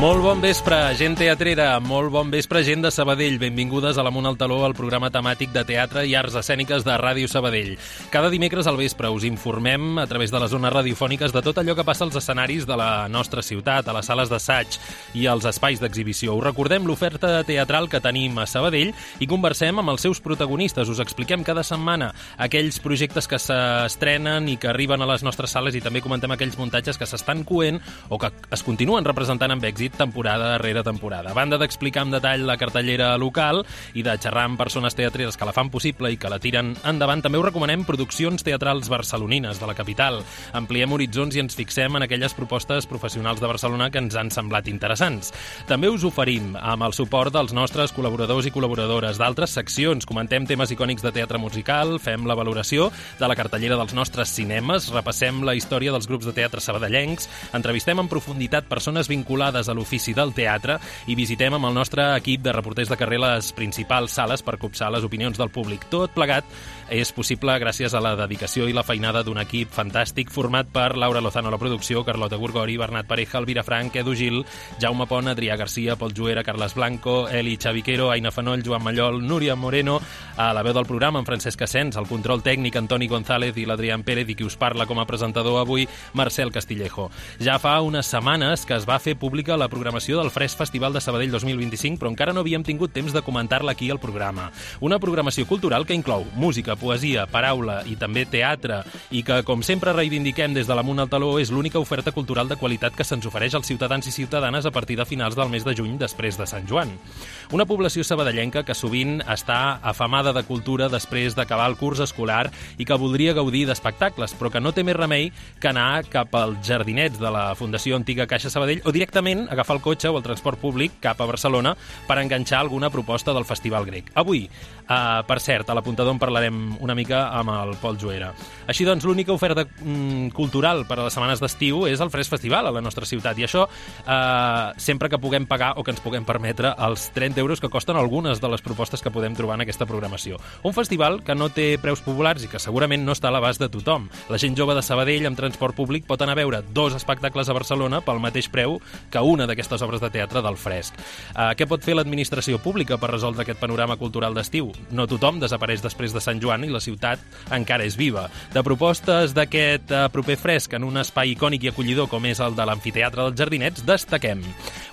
Molt bon vespre, gent teatrera, molt bon vespre, gent de Sabadell. Benvingudes a l'Amunt al Taló, el programa temàtic de teatre i arts escèniques de Ràdio Sabadell. Cada dimecres al vespre us informem a través de les zones radiofòniques de tot allò que passa als escenaris de la nostra ciutat, a les sales d'assaig i als espais d'exhibició. Us recordem l'oferta teatral que tenim a Sabadell i conversem amb els seus protagonistes. Us expliquem cada setmana aquells projectes que s'estrenen i que arriben a les nostres sales i també comentem aquells muntatges que s'estan coent o que es continuen representant amb èxit temporada darrere temporada. A banda d'explicar en detall la cartellera local i de xerrar amb persones teatreres que la fan possible i que la tiren endavant, també us recomanem produccions teatrals barcelonines de la capital. Ampliem horitzons i ens fixem en aquelles propostes professionals de Barcelona que ens han semblat interessants. També us oferim, amb el suport dels nostres col·laboradors i col·laboradores d'altres seccions, comentem temes icònics de teatre musical, fem la valoració de la cartellera dels nostres cinemes, repassem la història dels grups de teatre sabadellencs, entrevistem en profunditat persones vinculades a l'ofici del teatre i visitem amb el nostre equip de reporters de carrer les principals sales per copsar les opinions del públic. Tot plegat és possible gràcies a la dedicació i la feinada d'un equip fantàstic format per Laura Lozano a la producció, Carlota Gorgori, Bernat Pareja, Elvira Frank, Edu Gil, Jaume Pont, Adrià Garcia, Pol Juera, Carles Blanco, Eli Xaviquero, Aina Fanoll, Joan Mallol, Núria Moreno, a la veu del programa en Francesc Asens, el control tècnic Antoni González i l'Adrián Pérez i qui us parla com a presentador avui, Marcel Castillejo. Ja fa unes setmanes que es va fer pública la programació del Fresc Festival de Sabadell 2025, però encara no havíem tingut temps de comentar-la aquí al programa. Una programació cultural que inclou música, poesia, paraula i també teatre i que, com sempre reivindiquem des de l'Amunt al Taló, és l'única oferta cultural de qualitat que se'ns ofereix als ciutadans i ciutadanes a partir de finals del mes de juny després de Sant Joan. Una població sabadellenca que sovint està afamada de cultura després d'acabar el curs escolar i que voldria gaudir d'espectacles, però que no té més remei que anar cap als jardinets de la Fundació Antiga Caixa Sabadell o directament agafar el cotxe o el transport públic cap a Barcelona per enganxar alguna proposta del Festival Grec. Avui, per cert, a l'Apuntador en parlarem una mica amb el Pol Juera. Així doncs, l'única oferta cultural per a les setmanes d'estiu és el Fresc Festival a la nostra ciutat i això sempre que puguem pagar o que ens puguem permetre els 30 euros que costen algunes de les propostes que podem trobar en aquesta programació. Un festival que no té preus populars i que segurament no està a l'abast de tothom. La gent jove de Sabadell amb transport públic pot anar a veure 2 espectacles a Barcelona pel mateix preu que una d'aquestes obres de teatre del Fresc. Què pot fer l'administració pública per resoldre aquest panorama cultural d'estiu? No tothom desapareix després de Sant Joan i la ciutat encara és viva. De propostes d'aquest proper Fresc en un espai icònic i acollidor com és el de l'Amfiteatre dels Jardinets, destaquem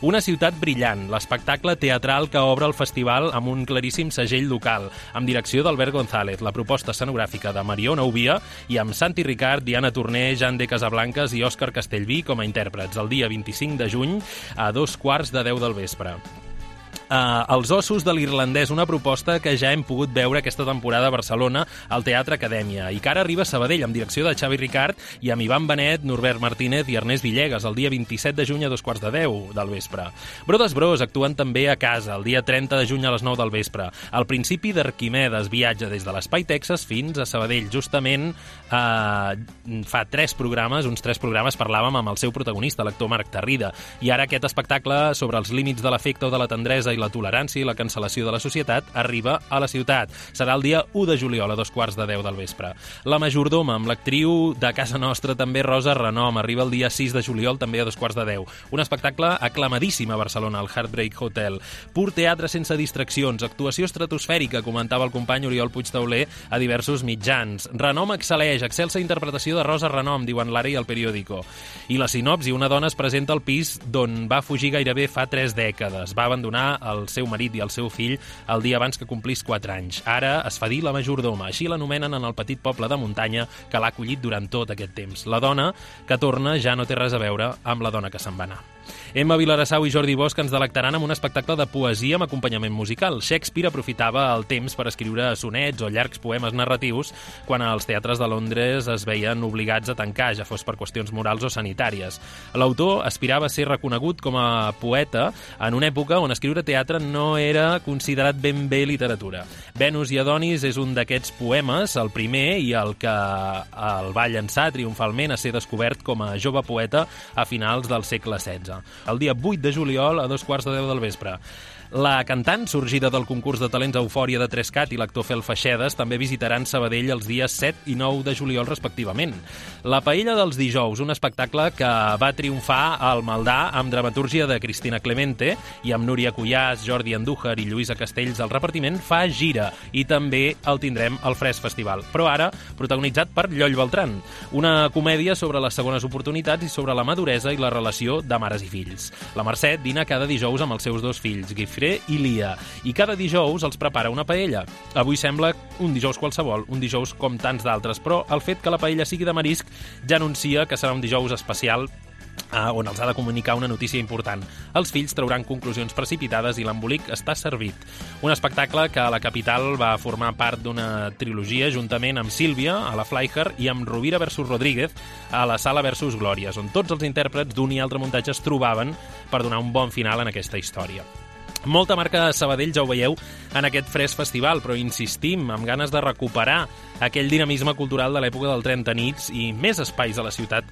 Una ciutat brillant, l'espectacle teatral que obre el festival amb un claríssim segell local, amb direcció d'Albert González, la proposta escenogràfica de Mariona Ubia i amb Santi Ricard, Diana Torner, Jan de Casablancas i Òscar Castellví com a intèrprets, el dia 25 de juny a 2:15 del vespre. Els ossos de l'irlandès, una proposta que ja hem pogut veure aquesta temporada a Barcelona al Teatre Acadèmia i que ara arriba a Sabadell amb direcció de Xavi Ricard i amb Ivan Benet, Norbert Martínez i Ernest Villegas el dia 27 de juny a 2:10 del vespre. Brodes Bros actuen també a casa el dia 30 de juny a les 9 del vespre. Al principi d'Arquimedes viatja des de l'Espai Texas fins a Sabadell. Justament fa uns 3 programes parlàvem amb el seu protagonista, l'actor Marc Tarrida, i ara aquest espectacle sobre els límits de l'afecte o de la tendresa i la tolerància i la cancel·lació de la societat arriba a la ciutat. Serà el dia 1 de juliol a 2:10 del vespre. La Majordoma, amb l'actriu de casa nostra també Rosa Renom, arriba el dia 6 de juliol també a 2:10. Un espectacle aclamadíssim a Barcelona, al Heartbreak Hotel. Pur teatre sense distraccions, actuació estratosfèrica, comentava el company Oriol Puigtauler a diversos mitjans. Renom excel·leix, excelsa interpretació de Rosa Renom, diuen l'Ara i el Periódico. I la sinopsi, una dona es presenta al pis d'on va fugir gairebé fa 3 dècades. Va abandonar el seu marit i el seu fill el dia abans que complís 4 anys. Ara es fa dir la Majordoma, així l'anomenen en el petit poble de muntanya que l'ha acollit durant tot aquest temps. La dona que torna ja no té res a veure amb la dona que se'n va anar. Emma Vilarassau i Jordi Bosch ens delectaran amb un espectacle de poesia amb acompanyament musical. Shakespeare aprofitava el temps per escriure sonets o llargs poemes narratius quan els teatres de Londres es veien obligats a tancar, ja fos per qüestions morals o sanitàries. L'autor aspirava a ser reconegut com a poeta en una època on escriure teatre no era considerat ben bé literatura. Venus i Adonis és un d'aquests poemes, el primer i el que el va llançar triomfalment a ser descobert com a jove poeta a finals del segle XVI. El dia 8 de juliol a 2:10 del vespre. La cantant, sorgida del concurs de talents Eufòria de Trescat, i l'actor Fel Feixedes també visitaran Sabadell els dies 7 i 9 de juliol, respectivament. La Paella dels dijous, un espectacle que va triomfar al Maldà amb dramatúrgia de Cristina Clemente i amb Núria Cuyàs, Jordi Andújar i Lluïsa Castells al repartiment, fa gira, i també el tindrem al Fresc Festival, però ara protagonitzat per Lloll Beltran, una comèdia sobre les segones oportunitats i sobre la maduresa i la relació de mares i fills. La Mercè dina cada dijous amb els seus dos fills, Guifré i Lia, i cada dijous els prepara una paella. Avui sembla un dijous qualsevol, un dijous com tants d'altres, però el fet que la paella sigui de marisc ja anuncia que serà un dijous especial on els ha de comunicar una notícia important. Els fills trauran conclusions precipitades i l'embolic està servit. Un espectacle que a la capital va formar part d'una trilogia juntament amb Sílvia, a la Flyher, i amb Rovira versus Rodríguez, a la Sala versus Glòries, on tots els intèrprets d'un i altre muntatge es trobaven per donar un bon final en aquesta història. Molta marca de Sabadell, ja ho veieu, en aquest Fresc Festival, però insistim, amb ganes de recuperar aquell dinamisme cultural de l'època del 30 nits i més espais a la ciutat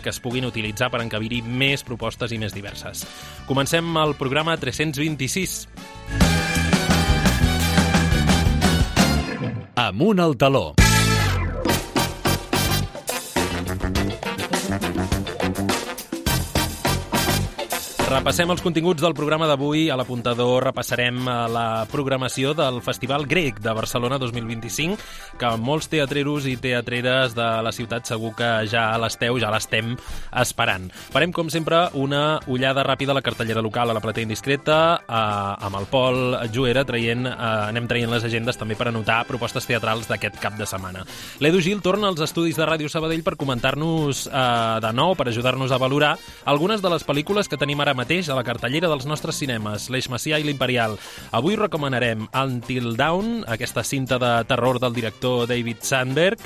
que es puguin utilitzar per encabir-hi més propostes i més diverses. Comencem el programa 326. Amunt al taló. Repassem els continguts del programa d'avui. A l'apuntador repassarem la programació del Festival Grec de Barcelona 2025, que molts teatreros i teatreres de la ciutat segur que ja l'estem esperant. Farem, com sempre, una ullada ràpida a la cartellera local, a la platea indiscreta, amb el Pol Juera anem traient les agendes també per anotar propostes teatrals d'aquest cap de setmana. L'Edu Gil torna als estudis de Ràdio Sabadell per comentar-nos de nou, per ajudar-nos a valorar algunes de les pel·lícules que tenim ara mateix a la cartellera dels nostres cinemes, l'Eix Macià i l'Imperial. Avui recomanarem Until Dawn, aquesta cinta de terror del director David Sandberg,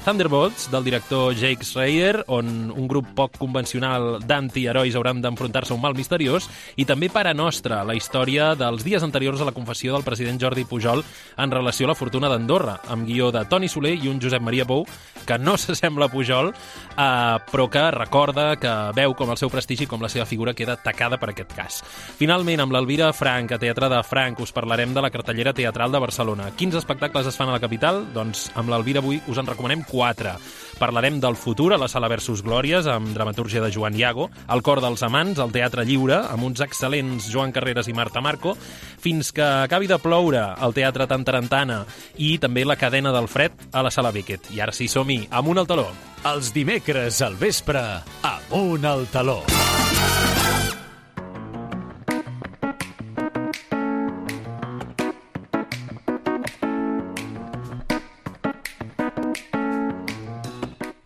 Thunderbolts, del director Jake Schreier, on un grup poc convencional d'antiherois hauran d'enfrontar-se a un mal misteriós, i també Pare Nostra, la història dels dies anteriors a la confessió del president Jordi Pujol en relació a la fortuna d'Andorra, amb guió de Toni Soler i un Josep Maria Pou, que no s'assembla a Pujol, però que recorda, que veu com el seu prestigi i com la seva figura queda tacada per aquest cas. Finalment, amb l'Elvira Frank, a Teatre de Frank, us parlarem de la cartellera teatral de Barcelona. Quins espectacles es fan a la capital? Doncs amb l'Elvira avui us en recomanem 4. Parlarem del futur a la Sala versus Glòries, amb dramatúrgia de Joan Iago, El cor dels amants, al Teatre Lliure, amb uns excel·lents Joan Carreras i Marta Marco, fins que acabi de ploure al Teatre Tantarantana, i també La cadena del fred a la Sala Beckett. I ara sí, som-hi, amunt al taló. Els dimecres al vespre, amunt al taló.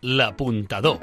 L'apuntador.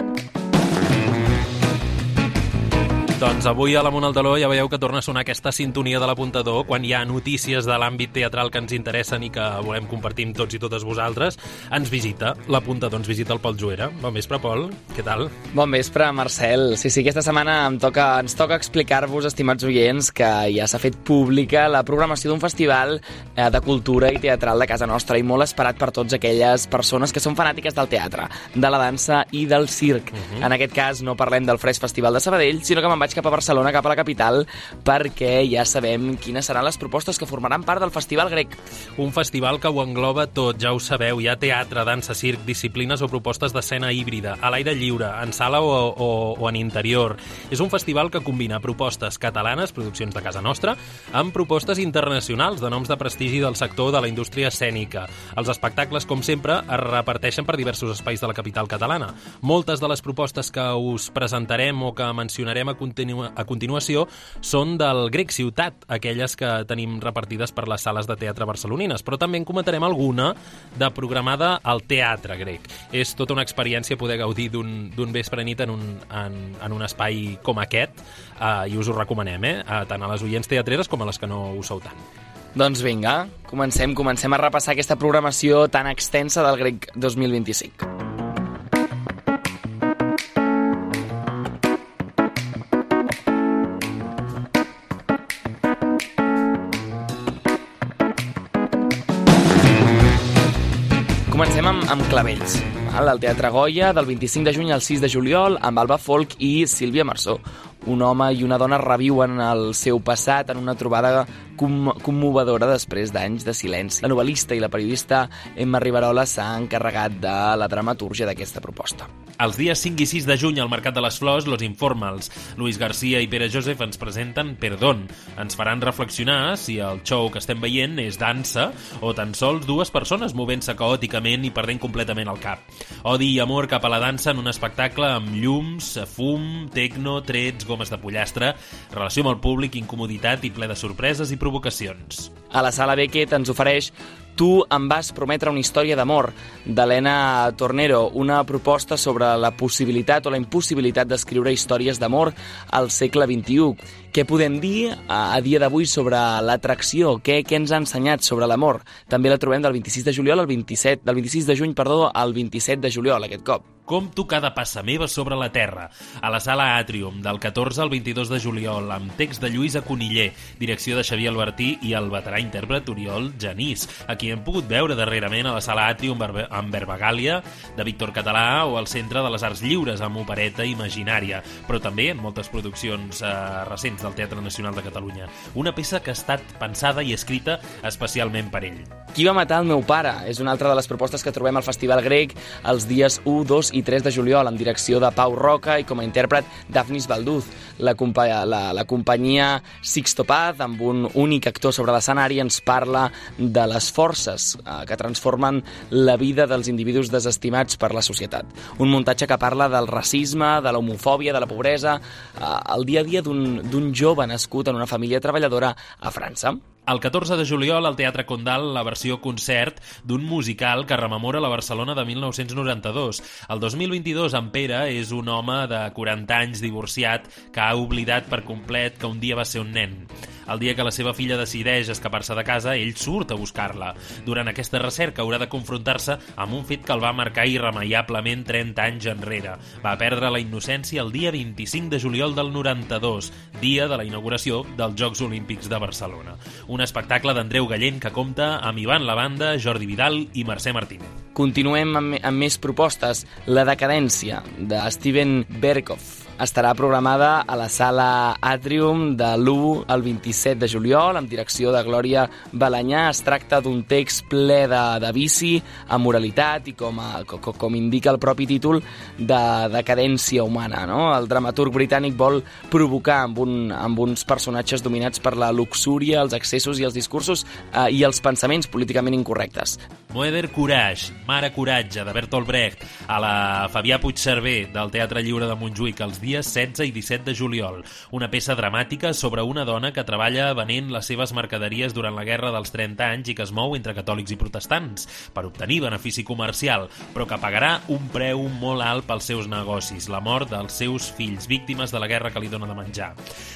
Doncs avui a l'Amunt al Taló ja veieu que torna a sonar aquesta sintonia de l'Apuntador quan hi ha notícies de l'àmbit teatral que ens interessen i que volem compartir amb tots i totes vosaltres. Ens visita l'Apuntador, ens visita el Pol Juera. Bon vespre, Pol, què tal? Bon vespre, Marcel. Sí, aquesta setmana ens toca explicar-vos, estimats oients, que ja s'ha fet pública la programació d'un festival de cultura i teatral de casa nostra, i molt esperat per tots aquelles persones que són fanàtiques del teatre, de la dansa i del circ. En aquest cas no parlem del Fresc Festival de Sabadell, sinó que me'n vaig cap a Barcelona, cap a la capital, perquè ja sabem quines seran les propostes que formaran part del Festival Grec. Un festival que ho engloba tot, ja ho sabeu, hi ha teatre, dansa, circ, disciplines o propostes d'escena híbrida, a l'aire lliure, en sala o en interior. És un festival que combina propostes catalanes, produccions de casa nostra, amb propostes internacionals de noms de prestigi del sector de la indústria escènica. Els espectacles, com sempre, es reparteixen per diversos espais de la capital catalana. Moltes de les propostes que us presentarem o que mencionarem a continuació són del Grec Ciutat, aquelles que tenim repartides per les sales de teatre barcelonines, però també en comentarem alguna de programada al Teatre Grec. És tota una experiència poder gaudir d'un vespre nit en un espai com aquest, i us ho recomanem, tant a les oients teatreres com a les que no ho sou tant. Doncs vinga, comencem a repassar aquesta programació tan extensa del Grec 2025. Comencem amb Clavells, al Teatre Goya, del 25 de juny al 6 de juliol, amb Alba Folk i Sílvia Marsó. Un home i una dona reviuen el seu passat en una trobada commovedora després d'anys de silenci. La novel·lista i la periodista Emma Riverola s'ha encarregat de la dramatúrgia d'aquesta proposta. Els dies 5 i 6 de juny al Mercat de les Flors, Los Informals, Luis García i Pere Joseph ens presenten Perdón. Ens faran reflexionar si el show que estem veient és dansa o tan sols dues persones movent-se caòticament i perdent completament el cap. Odi i amor cap a la dansa en un espectacle amb llums, fum, tecno, trets, gomes de pollastre, relació amb el públic, incomoditat i ple de sorpreses i provocacions. A la Sala Beckett ens ofereix Tu em vas prometre una història d'amor, d'Helena Tornero, una proposta sobre la possibilitat o la impossibilitat d'escriure històries d'amor al segle XXI. Què podem dir a dia d'avui sobre l'atracció? Què ens ha ensenyat sobre l'amor? També la trobem del 26 de juliol al 27, del 26 de juny, al 27 de juliol, aquest cop. Compto cada passa meva sobre la terra, a la Sala Àtrium, del 14 al 22 de juliol, amb text de Lluïsa Coniller, direcció de Xavier Albertí i el veterà intèrpret Oriol Genís, a qui hem pogut veure darrerament a la Sala Àtrium amb Verbagàlia, de Víctor Català, o al Centre de les Arts Lliures, amb Opereta Imaginària, però també en moltes produccions recents del Teatre Nacional de Catalunya. Una peça que ha estat pensada i escrita especialment per ell. Qui va matar el meu pare? És una altra de les propostes que trobem al Festival Grec els dies 1, 2 i 3 de juliol, amb direcció de Pau Roca i com a intèrpret Dafnis Balduz. La companyia Sixto Paz, amb un únic actor sobre l'escenari, ens parla de les forces que transformen la vida dels individus desestimats per la societat. Un muntatge que parla del racisme, de l'homofòbia, de la pobresa, el dia a dia d'un jove nascut en una família treballadora a França. El 14 de juliol, al Teatre Condal, la versió concert d'un musical que rememora la Barcelona de 1992. El 2022, en Pere és un home de 40 anys divorciat que ha oblidat per complet que un dia va ser un nen. El dia que la seva filla decideix escapar-se de casa, ell surt a buscar-la. Durant aquesta recerca haurà de confrontar-se amb un fet que el va marcar irremeiablement 30 anys enrere. Va perdre la innocència el dia 25 de juliol del 92, dia de la inauguració dels Jocs Olímpics de Barcelona. Un espectacle d'Andreu Gallent que compta amb Ivan Lavanda, Jordi Vidal i Mercè Martínez. Continuem amb més propostes. La decadència, de Steven Berkoff, estarà programada a la Sala Àtrium de l'1 al 27 de juliol, amb direcció de Glòria Balanyà. Es tracta d'un text ple de vici, amoralitat i, com indica el propi títol, de decadència humana. No? El dramaturg britànic vol provocar amb uns personatges dominats per la luxúria, els excessos i els discursos i els pensaments políticament incorrectes. Moeder Courage, Mare Coratge, de Bertolt Brecht, a la Fabià Puigcerver, del Teatre Lliure de Montjuïc, els dies 16 i 17 de juliol. Una peça dramàtica sobre una dona que treballa venent les seves mercaderies durant la Guerra dels 30 anys i que es mou entre catòlics i protestants per obtenir benefici comercial, però que pagarà un preu molt alt pels seus negocis, la mort dels seus fills, víctimes de la guerra que li dona de menjar.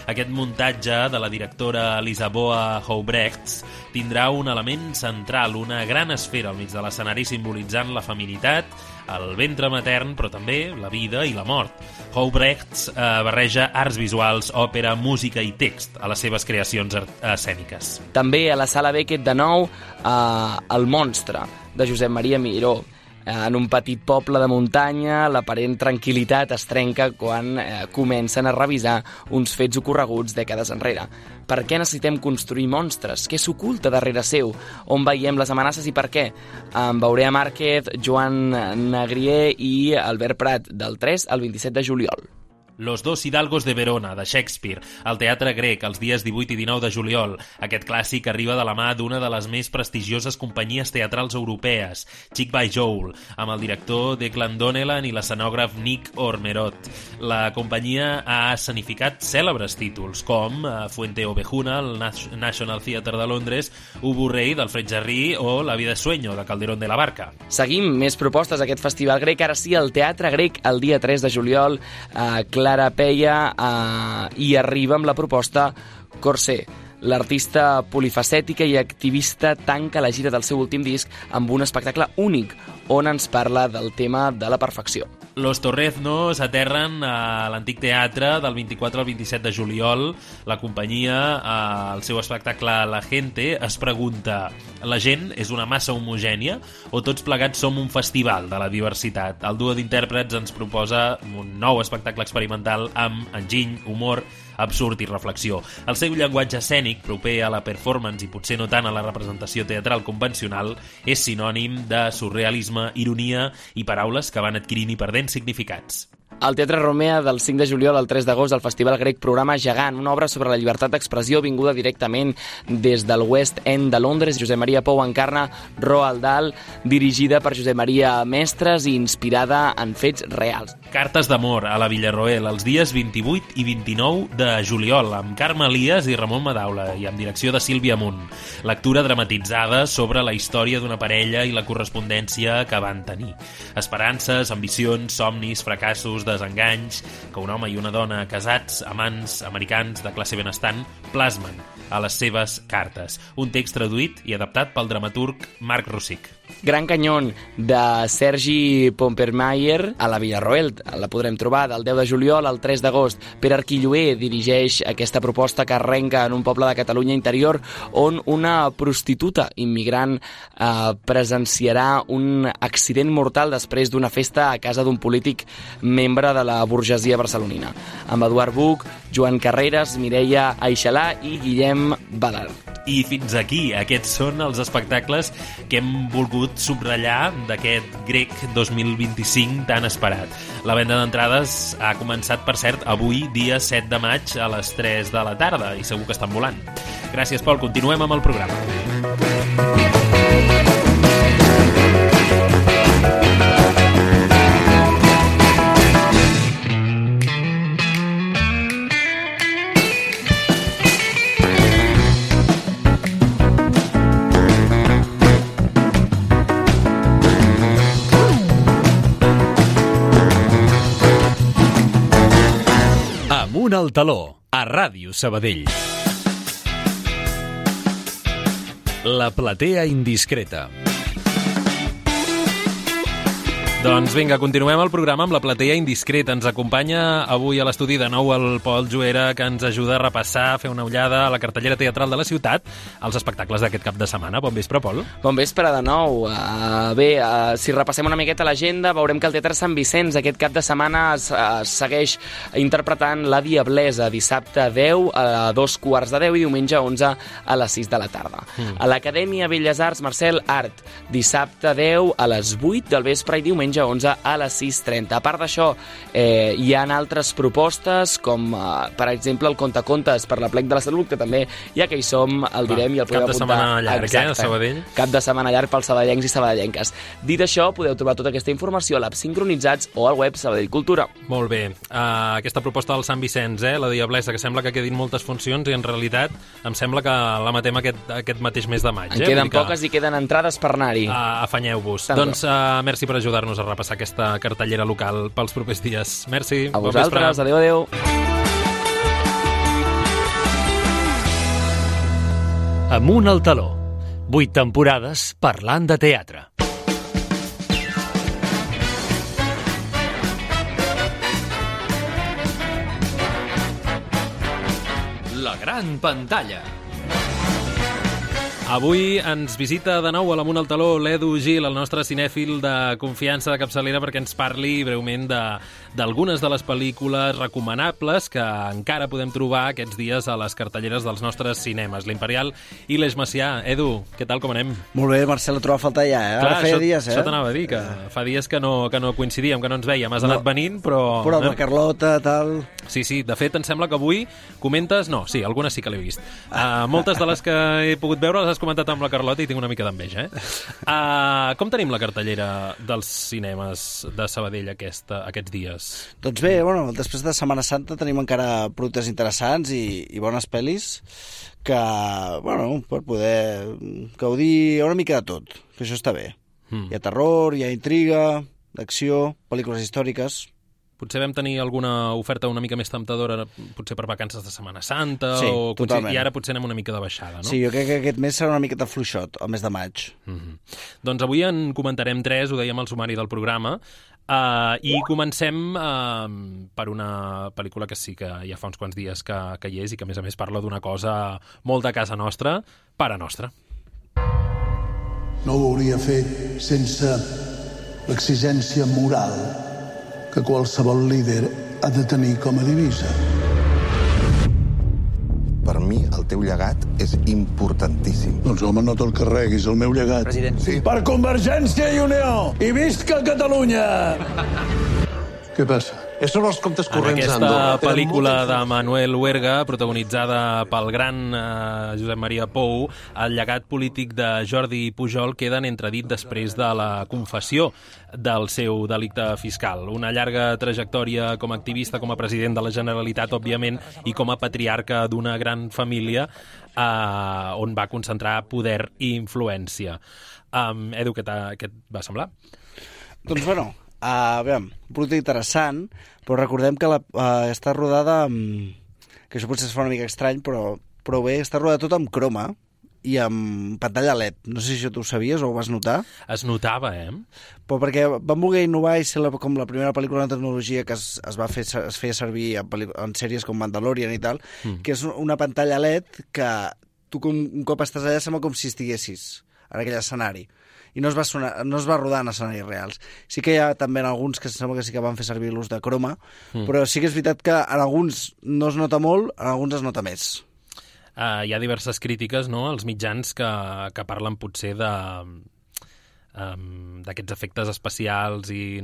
Aquest muntatge de la directora Lisaboa Houbrechts tindrà un element central, una gran esfera al mig de l'escenari simbolitzant la feminitat, el ventre matern, però també la vida i la mort. Houbrechts barreja arts visuals, òpera, música i text a les seves creacions escèniques. També a la Sala Beckett de nou, El monstre, de Josep Maria Miró. En un petit poble de muntanya, l'aparent tranquil·litat es trenca quan comencen a revisar uns fets ocorreguts dècades enrere. Per què necessitem construir monstres? Què s'oculta darrere seu? On veiem les amenaces i per què? Amb Aurea Márquez, Joan Negrier i Albert Prat, del 3 al 27 de juliol. Los dos hidalgos de Verona, de Shakespeare, al Teatre Grec, els dies 18 i 19 de juliol. Aquest clàssic arriba de la mà d'una de les més prestigioses companyies teatrals europees, Chick by Joel, amb el director Declan Donnellan i l'escenògraf Nick Ormerod. La companyia ha escenificat cèlebres títols, com Fuente Ovejuna, el National Theatre de Londres, Ubu Rey, del Fred Jarry, o La vida es sueño, de Calderón de la Barca. Seguim més propostes a aquest festival grec, ara sí, al Teatre Grec, el dia 3 de juliol, Clara Peia i arriba amb la proposta Corsé. L'artista polifacètica i activista tanca la gira del seu últim disc amb un espectacle únic on ens parla del tema de la perfecció. Los Torreznos aterren a l'Antic Teatre del 24 al 27 de juliol. La companyia, al seu espectacle La Gente, es pregunta: La gent és una massa homogènia o tots plegats som un festival de la diversitat? El duo d'intèrprets ens proposa un nou espectacle experimental amb enginy, humor, absurd i reflexió. El seu llenguatge escènic, proper a la performance i potser no tant a la representació teatral convencional, és sinònim de surrealisme, ironia i paraules que van adquirint i perdent significats. Al Teatre Romea, del 5 de juliol al 3 d'agost, el Festival Grec programa Gegant, una obra sobre la llibertat d'expressió vinguda directament des del West End de Londres. Josep Maria Pou encarna Roald Dahl, dirigida per Josep Maria Mestres i inspirada en fets reals. Cartes d'amor a la Villarroel, els dies 28 i 29 de juliol, amb Carme Elias i Ramon Madaula, i amb direcció de Sílvia Munt. Lectura dramatitzada sobre la història d'una parella i la correspondència que van tenir. Esperances, ambicions, somnis, fracassos, desenganys que un home i una dona casats, amants, americans de classe benestant plasmen a les seves cartes. Un text traduït i adaptat pel dramaturg Marc Rosic. Gran Canyón, de Sergi Pompermayer, a la Villarroel. La podrem trobar del 10 de juliol al 3 d'agost. Pere Arquilloé dirigeix aquesta proposta que arrenca en un poble de Catalunya interior on una prostituta immigrant presenciarà un accident mortal després d'una festa a casa d'un polític membre de la burgesia barcelonina. Amb Eduard Buch, Joan Carreras, Mireia Aixalà i Guillem Badal. I fins aquí, aquests són els espectacles que hem volgut subratllar d'aquest Grec 2025 tan esperat. La venda d'entrades ha començat, per cert, avui, dia 7 de maig, a les 3 de la tarda, i segur que estan volant. Gràcies, Pol. Continuem amb el programa. Amunt al taló, a Ràdio Sabadell. La platea indiscreta. Doncs vinga, continuem el programa amb la platea indiscreta. Ens acompanya avui a l'estudi de nou el Pol Juera, que ens ajuda a repassar, a fer una ullada a la cartellera teatral de la ciutat, als espectacles d'aquest cap de setmana. Bon vespre, Pol. Bon vespre de nou. Si repassem una miqueta l'agenda, veurem que el Teatre Sant Vicenç aquest cap de setmana segueix interpretant La Diablesa, dissabte 10 a 2:15 i diumenge 11 a les 6 de la tarda. A l'Acadèmia Belles Arts Marcel Art, dissabte 10 a les 8 del vespre i diumenge 11 a les 6:30. A part d'això, hi ha altres propostes, com per exemple el Contacontes per la Plec de la Salut, que també ja que hi som, el direm i el podem apuntar. Cap de setmana llarg, a Sabadell? Cap de setmana llarg pels sabadellencs i sabadellenques. Dit això, podeu trobar tota aquesta informació a l'App Sincronitzats o al web Sabadell Cultura. Molt bé. Aquesta proposta del Sant Vicenç, La Diablesa, que sembla que quedin moltes funcions i en realitat em sembla que la matem aquest mateix mes de maig. En queden poques i queden entrades per anar-hi. Afanyeu-vos. Doncs merci per ajudar-nos a repassar aquesta cartellera local pels propers dies. Merci. A vosaltres. Adéu, adéu. Amunt al taló. 8 temporades parlant de teatre. La gran pantalla. Avui ens visita de nou a l'Amunt al taló l'Edu Gil, el nostre cinèfil de confiança de capçalera, perquè ens parli breument d'algunes de les pel·lícules recomanables que encara podem trobar aquests dies a les cartelleres dels nostres cinemes, l'Imperial i l'Eix Macià. Edu, què tal, com anem? Molt bé, Marcel, et trobo a faltar ja, Clar, ara feia dies, Això t'anava a dir, que fa dies que no coincidíem, que no ens veiem. Has anat venint, però... Però amb la Carlota, tal... Sí, de fet, em sembla que avui comentes... No, sí, algunes sí que l'he vist. Moltes de les que he pogut veure les has comentat amb la Carlota i tinc una mica d'enveja, Com tenim la cartellera dels cinemes de Sabadell aquests dies? Doncs bé, després de Setmana Santa tenim encara productes interessants i bones pel·lis que, per poder gaudir una mica de tot, que això està bé. Hi ha terror, hi ha intriga, d'acció, pel·lícules històriques... Potser vam tenir alguna oferta una mica més temptadora, potser per vacances de Setmana Santa, sí, totalment. I ara potser anem una mica de baixada, no? Sí, jo crec que aquest mes serà una miqueta fluixot, el mes de maig. Doncs avui en comentarem 3, ho dèiem al sumari del programa, i comencem per una pel·lícula que sí que ja fa uns quants dies que hi és i que a més parla d'una cosa molt de casa nostra, Pare Nostre. no ho hauria fet sense l'exigència moral que qualsevol líder ha de tenir com a divisa. Per mi, el teu llegat és importantíssim. Doncs home, no te'l carreguis, el meu llegat. President. Sí. Per Convergència i Unió! I visca Catalunya! Què passa? Són els comptes En corrents aquesta d'Andorra. pel·lícula de Manuel Huerga, protagonitzada pel gran Josep Maria Pou, el llegat polític de Jordi Pujol queda en entredit després de la confessió del seu delicte fiscal. Una llarga trajectòria com a activista, com a president de la Generalitat, òbviament, i com a patriarca d'una gran família on va concentrar poder i influència. Edu, què et va semblar? Doncs bueno, aviam, un producte interessant, però recordem que està rodada que això potser es fa una mica estrany, però bé, està rodada tot amb croma i amb pantalla LED. No sé si això tu ho sabies o ho vas notar. Es notava, Però perquè van voler innovar i ser com la primera pel·lícula de tecnologia que es feia servir en sèries com Mandalorian i tal, que és una pantalla LED que tu un cop estàs allà sembla com si estiguessis en aquell escenari. I no es va rodar en escenaris reals. Sí que hi ha també en alguns que sembla que sí que van fer servir l'ús de croma, però sí que és veritat que en alguns no es nota molt, en alguns es nota més. Hi ha diverses crítiques, no?, als mitjans que parlen potser d'aquests efectes especials i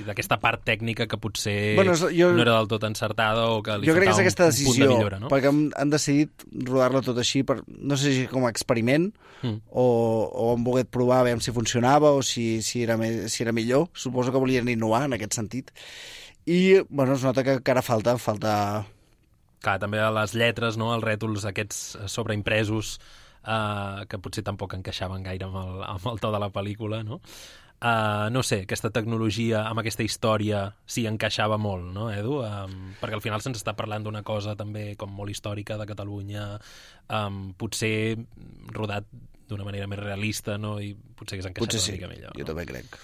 d'aquesta part tècnica que potser no era del tot encertada o que li jo crec que és faltava aquesta un punt de millora, no? Perquè han decidit rodar-la tot així, no sé si com a experiment o han volgut provar a veure si funcionava o si era millor. Suposo que volien innovar en aquest sentit. I bueno, es nota que encara falta... Clar, també a les lletres, no?, els rètols aquests sobreimpresos que potser tampoc encaixaven gaire amb el to de la pel·lícula, no? No sé, aquesta tecnologia amb aquesta història sí encaixava molt, no, Edu? Perquè al final se'ns està parlant d'una cosa també com molt històrica de Catalunya, potser rodat d'una manera més realista, no? I potser hagués encaixat una mica millor. Jo també crec.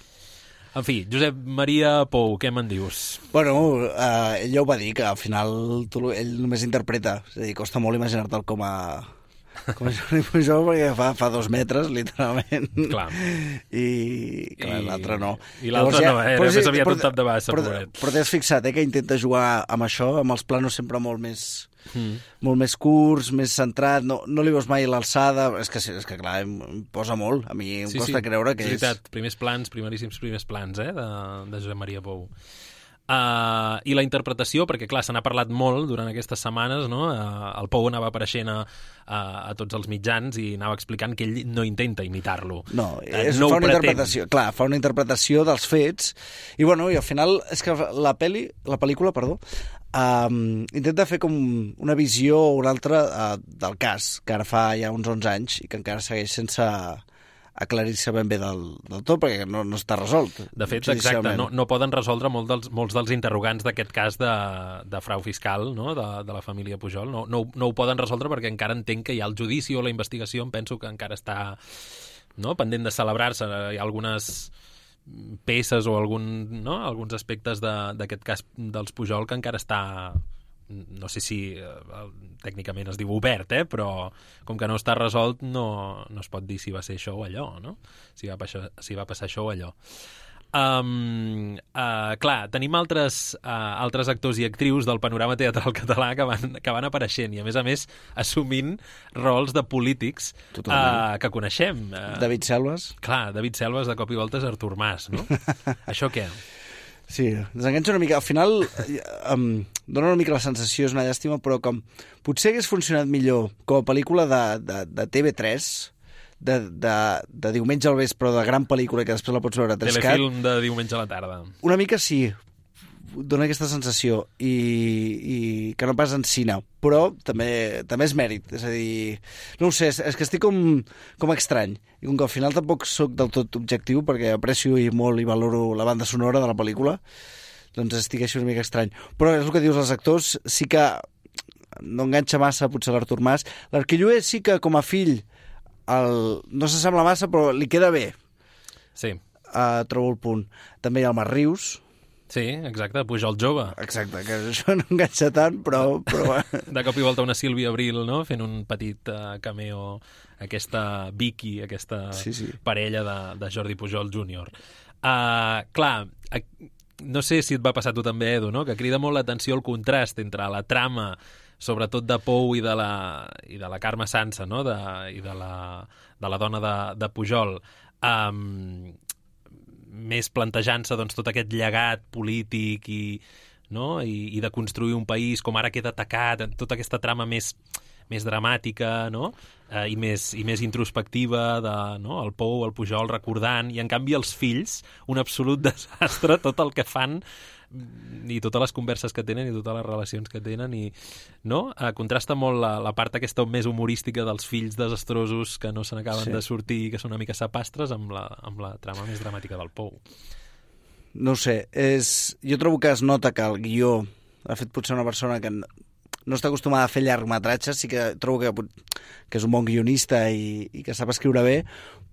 En fi, Josep Maria Pou, què me'n dius? Bueno, ell ja ho va dir, que al final ell només interpreta, és a dir, costa molt imaginar-te'l com a Jordi Pujol, perquè fa 2 metres, literalment. Clar. I clar, l'altre no. I l'altre no, era més aviat un tap de bassa, pobret. Però t'has fixat, que intenta jugar amb això, amb els planos sempre molt més curts, més centrat, no li veus mai l'alçada, és que clar, em posa molt, a mi em costa creure que és... veritat, primeríssims primers plans, de Josep Maria Pou. I la interpretació, perquè clar, se n'ha parlat molt durant aquestes setmanes, no? El Pou anava apareixent a tots els mitjans i anava explicant que ell no intenta imitar-lo. No, fa una interpretació dels fets i bueno, i al final és que la pel·lícula, intenta fer com una visió o una altra del cas, que ara fa ja uns 11 anys i que encara segueix sense aclarir-se ben bé del tot, perquè no està resolt. De fet, exacte, no poden resoldre molts dels interrogants d'aquest cas de frau fiscal, no?, de la família Pujol. No ho poden resoldre perquè encara entenc que hi ha el judici o la investigació, em penso que encara està pendent de celebrar-se. Hi ha algunes peces o alguns aspectes d'aquest cas dels Pujol que encara està... no sé si tècnicament es diu obert, però com que no està resolt no es pot dir si va ser això o allò, no? Si va passar això o allò. Clar, tenim altres actors i actrius del panorama teatral català que van apareixent i a més assumint rols de polítics que coneixem. David Selves. Clar, David Selves de cop i volta és Artur Mas, no? Això què? Sí, desenganxa una mica. Al final dona una mica la sensació, és una llàstima, però com potser hagués funcionat millor com a pel·lícula de TV3, de diumenge al vespre, de gran pel·lícula que després la pots veure a 3CAT. Telefilm de diumenge a la tarda. Una mica sí, dona aquesta sensació i que no pas en cine, però també és mèrit, és a dir, no ho sé, és que estic com estrany i com que al final tampoc sóc del tot objectiu perquè aprecio molt i valoro la banda sonora de la pel·lícula, doncs estic així una mica estrany, però és el que dius, els actors sí que no enganxa massa potser l'Artur Mas. L'Arquilloé sí que com a fill no s'assembla massa però li queda bé. Sí. Trobo el punt. També hi ha el Marc Rius. Sí, exacte, Pujol jove. Exacte, que això no enganxa tant, però... De cop i volta una Sílvia Abril, no?, fent un petit cameo, aquesta Vicky, aquesta parella de Jordi Pujol Júnior. Clar, no sé si et va passar a tu també, Edu, no?, que crida molt l'atenció el contrast entre la trama, sobretot de Pou i de la Carme Sansa, no?, i de la dona de Pujol, més plantejant-se doncs, tot aquest llegat polític i de construir un país com ara queda atacat, tota aquesta trama més dramàtica, no? I més introspectiva el Pou, el Pujol recordant, i en canvi els fills, un absolut desastre, tot el que fan i totes les converses que tenen i totes les relacions que tenen, i contrasta molt la part aquesta més humorística dels fills desastrosos que no se n'acaben de sortir, que són una mica sapastres, amb la trama més dramàtica del Pou. No ho sé, jo trobo que es nota que el guió ha fet potser una persona que no està acostumada a fer llargmetratges, sí que trobo que és un bon guionista i que sap escriure bé,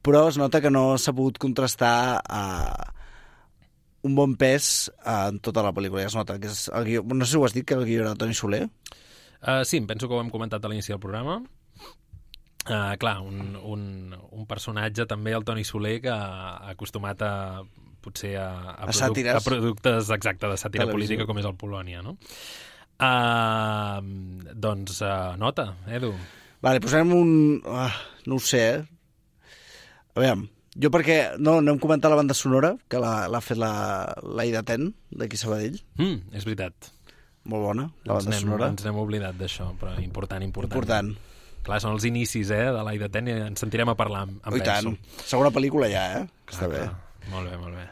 però es nota que no s'ha pogut contrastar un bon pes en tota la pel·lícula. Ja es nota que és el guió. No sé si ho has dit, que el guió era Toni Soler. Sí, em penso que ho hem comentat a l'inici del programa. Clar, un personatge també, el Toni Soler, que ha acostumat potser a productes exacte de sàtira política com és el Polònia, no? Doncs nota, Edu. Vale, posarem no ho sé, A veure, jo perquè no hem comentat la banda sonora, que l'ha fet l'Aida Ten, d'aquí Sabadell. És veritat. Molt bona, la banda sonora. Ens n'hem oblidat d'això, però important. Important. Clar, són els inicis de l'Aida Ten i ens sentirem a parlar amb penso. I tant. Segona pel·lícula ja, que està bé. Molt bé.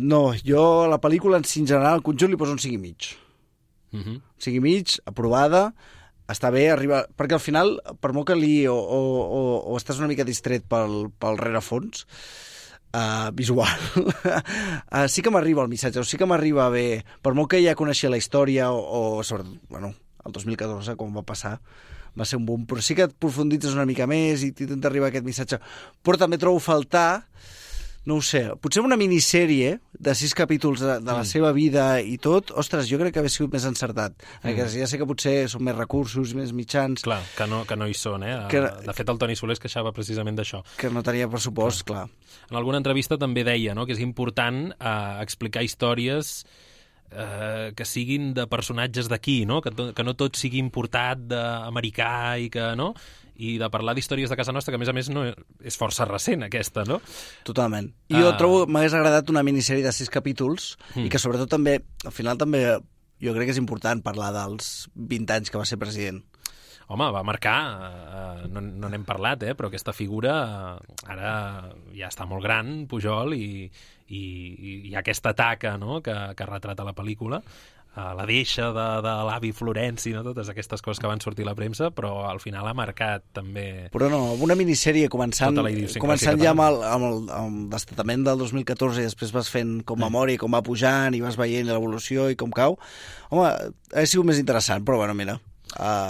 No, jo la pel·lícula en general, al conjunt li poso un 5,5. 5,5, aprovada, està bé, arriba... Perquè al final, per molt que o estàs una mica distret pel rerefons visual, sí que m'arriba el missatge, sí que m'arriba bé, per molt que ja coneixia la història, o sobretot, el 2014, quan va passar, va ser un boom, però sí que et profunditzes una mica més i t'intenta arribar aquest missatge. Però també trobo faltar, no ho sé, potser una minissèrie de 6 capítols de la seva vida i tot, ostres, jo crec que hauria sigut més encertat. Ja sé que potser són més recursos, més mitjans... Clar, que no hi són, De fet, el Toni Soler es queixava precisament d'això. Que no tenia pressupost, clar. En alguna entrevista també deia que és important explicar històries que siguin de personatges d'aquí, no? Que no tot sigui importat d'americà i que, no? I de parlar d'històries de casa nostra, que a més no és força recent aquesta, no? Totalment. Jo trobo, m'hagués agradat una minissèrie de 6 capítols i que sobretot també, al final també jo crec que és important parlar dels 20 anys que va ser president. Home, va marcar, no n'hem parlat, però aquesta figura ara ja està molt gran, Pujol, i hi ha aquesta taca, no?, que retrata la pel·lícula, la deixa de l'avi Florenci, no? Totes aquestes coses que van sortir a la premsa, però al final ha marcat també... Però no, una minissèrie començant ja amb el destatament del 2014 i després vas fent com memòria, com va pujant i vas veient l'evolució i com cau. Home, ha sigut més interessant, però bueno, mira...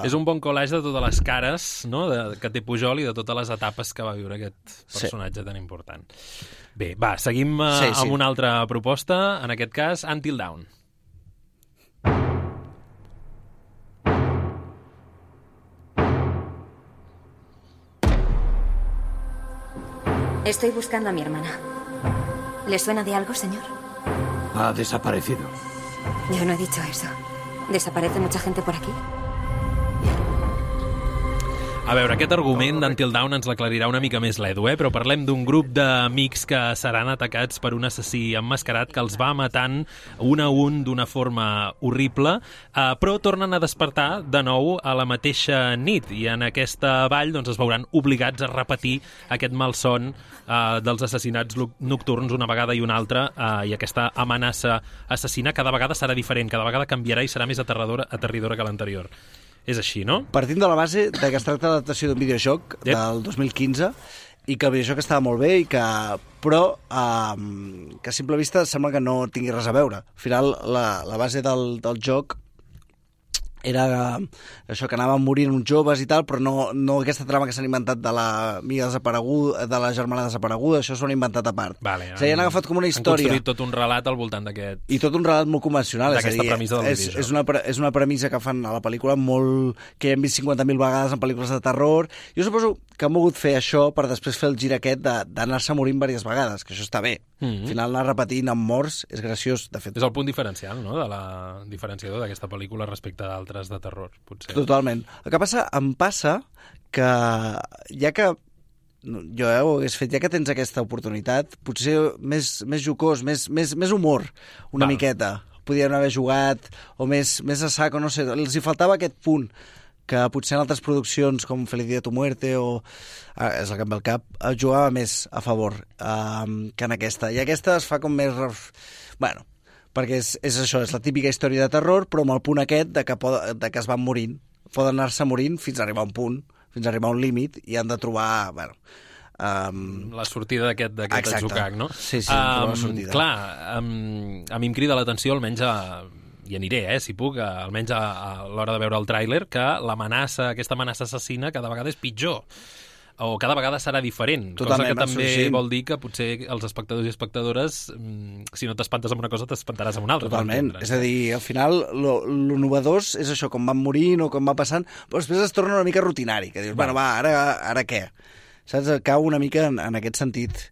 És un bon collage de totes les cares, no?, que té Pujol i de totes les etapes que va viure aquest personatge tan important. Bé, va, seguim amb una altra proposta, en aquest cas, Until Dawn. Estoy buscando a mi hermana. ¿Le suena de algo, señor? Ha desaparecido. Yo no he dicho eso. ¿Desaparece mucha gente por aquí? A veure, aquest argument d'Until Dawn ens l'aclarirà una mica més l'Edu, però parlem d'un grup d'amics que seran atacats per un assassí emmascarat que els va matant un a un d'una forma horrible, però tornen a despertar de nou a la mateixa nit, i en aquesta vall doncs, es veuran obligats a repetir aquest malson dels assassinats nocturns una vegada i una altra, i aquesta amenaça assassina cada vegada serà diferent, cada vegada canviarà i serà més aterridora que l'anterior. És així, no? Partint de la base de que es tracta d'adaptació d'un videojoc del 2015 i que el videojoc estava molt bé, però que a simple vista sembla que no tingui res a veure. Al final, la base del joc era això, que anaven morint uns joves i tal, però no aquesta trama que s'han inventat de l'amiga desapareguda, de la germana desapareguda, això s'ho han inventat a part. Vale, o sigui, han agafat com una història. Han construït tot un relat al voltant d'aquest... I tot un relat molt convencional. D'aquesta premissa del videojoc. És una premissa que fan a la pel·lícula molt... que hem vist 50.000 vegades en pel·lícules de terror. Jo suposo que han volgut fer això per després fer el gir aquest d'anar-se morint diverses vegades, que això està bé. Al final anar repetint amb morts és graciós, de fet. És el punt diferencial, no?, de la diferenciador d'aquesta pel·lícula respecte d'altres de terror, potser. Totalment. El que passa, em passa que ja que jo ho hagués fet, ja que tens aquesta oportunitat, potser més jocós, més humor, una miqueta. Podien haver jugat, o més a saco, no sé, els hi faltava aquest punt que potser en altres produccions com Feliz Día tu Muerte o és el que em ve al cap, jugava més a favor que en aquesta. I aquesta es fa com més... Bueno, perquè és això, és la típica història de terror, però amb el punt aquest de que es van morint. Poden anar-se morint fins a arribar a un punt, fins a arribar a un límit, i han de trobar... Bueno, la sortida d'aquest atzucac, no? Sí, la sortida. Clar, a mi em crida l'atenció, almenys hi aniré, si puc, almenys a l'hora de veure el tràiler, que aquesta amenaça assassina cada vegada és pitjor. O cada vegada serà diferent. Totalment, cosa que també vol dir que potser els espectadors i espectadores, si no t'espantes amb una cosa, t'espantaràs amb una altra. Totalment. És a dir, al final, lo novedós és això, com van morint o com va passant, però després es torna una mica rutinari, que dius, bueno, va, ara què? Saps? Cau una mica en aquest sentit.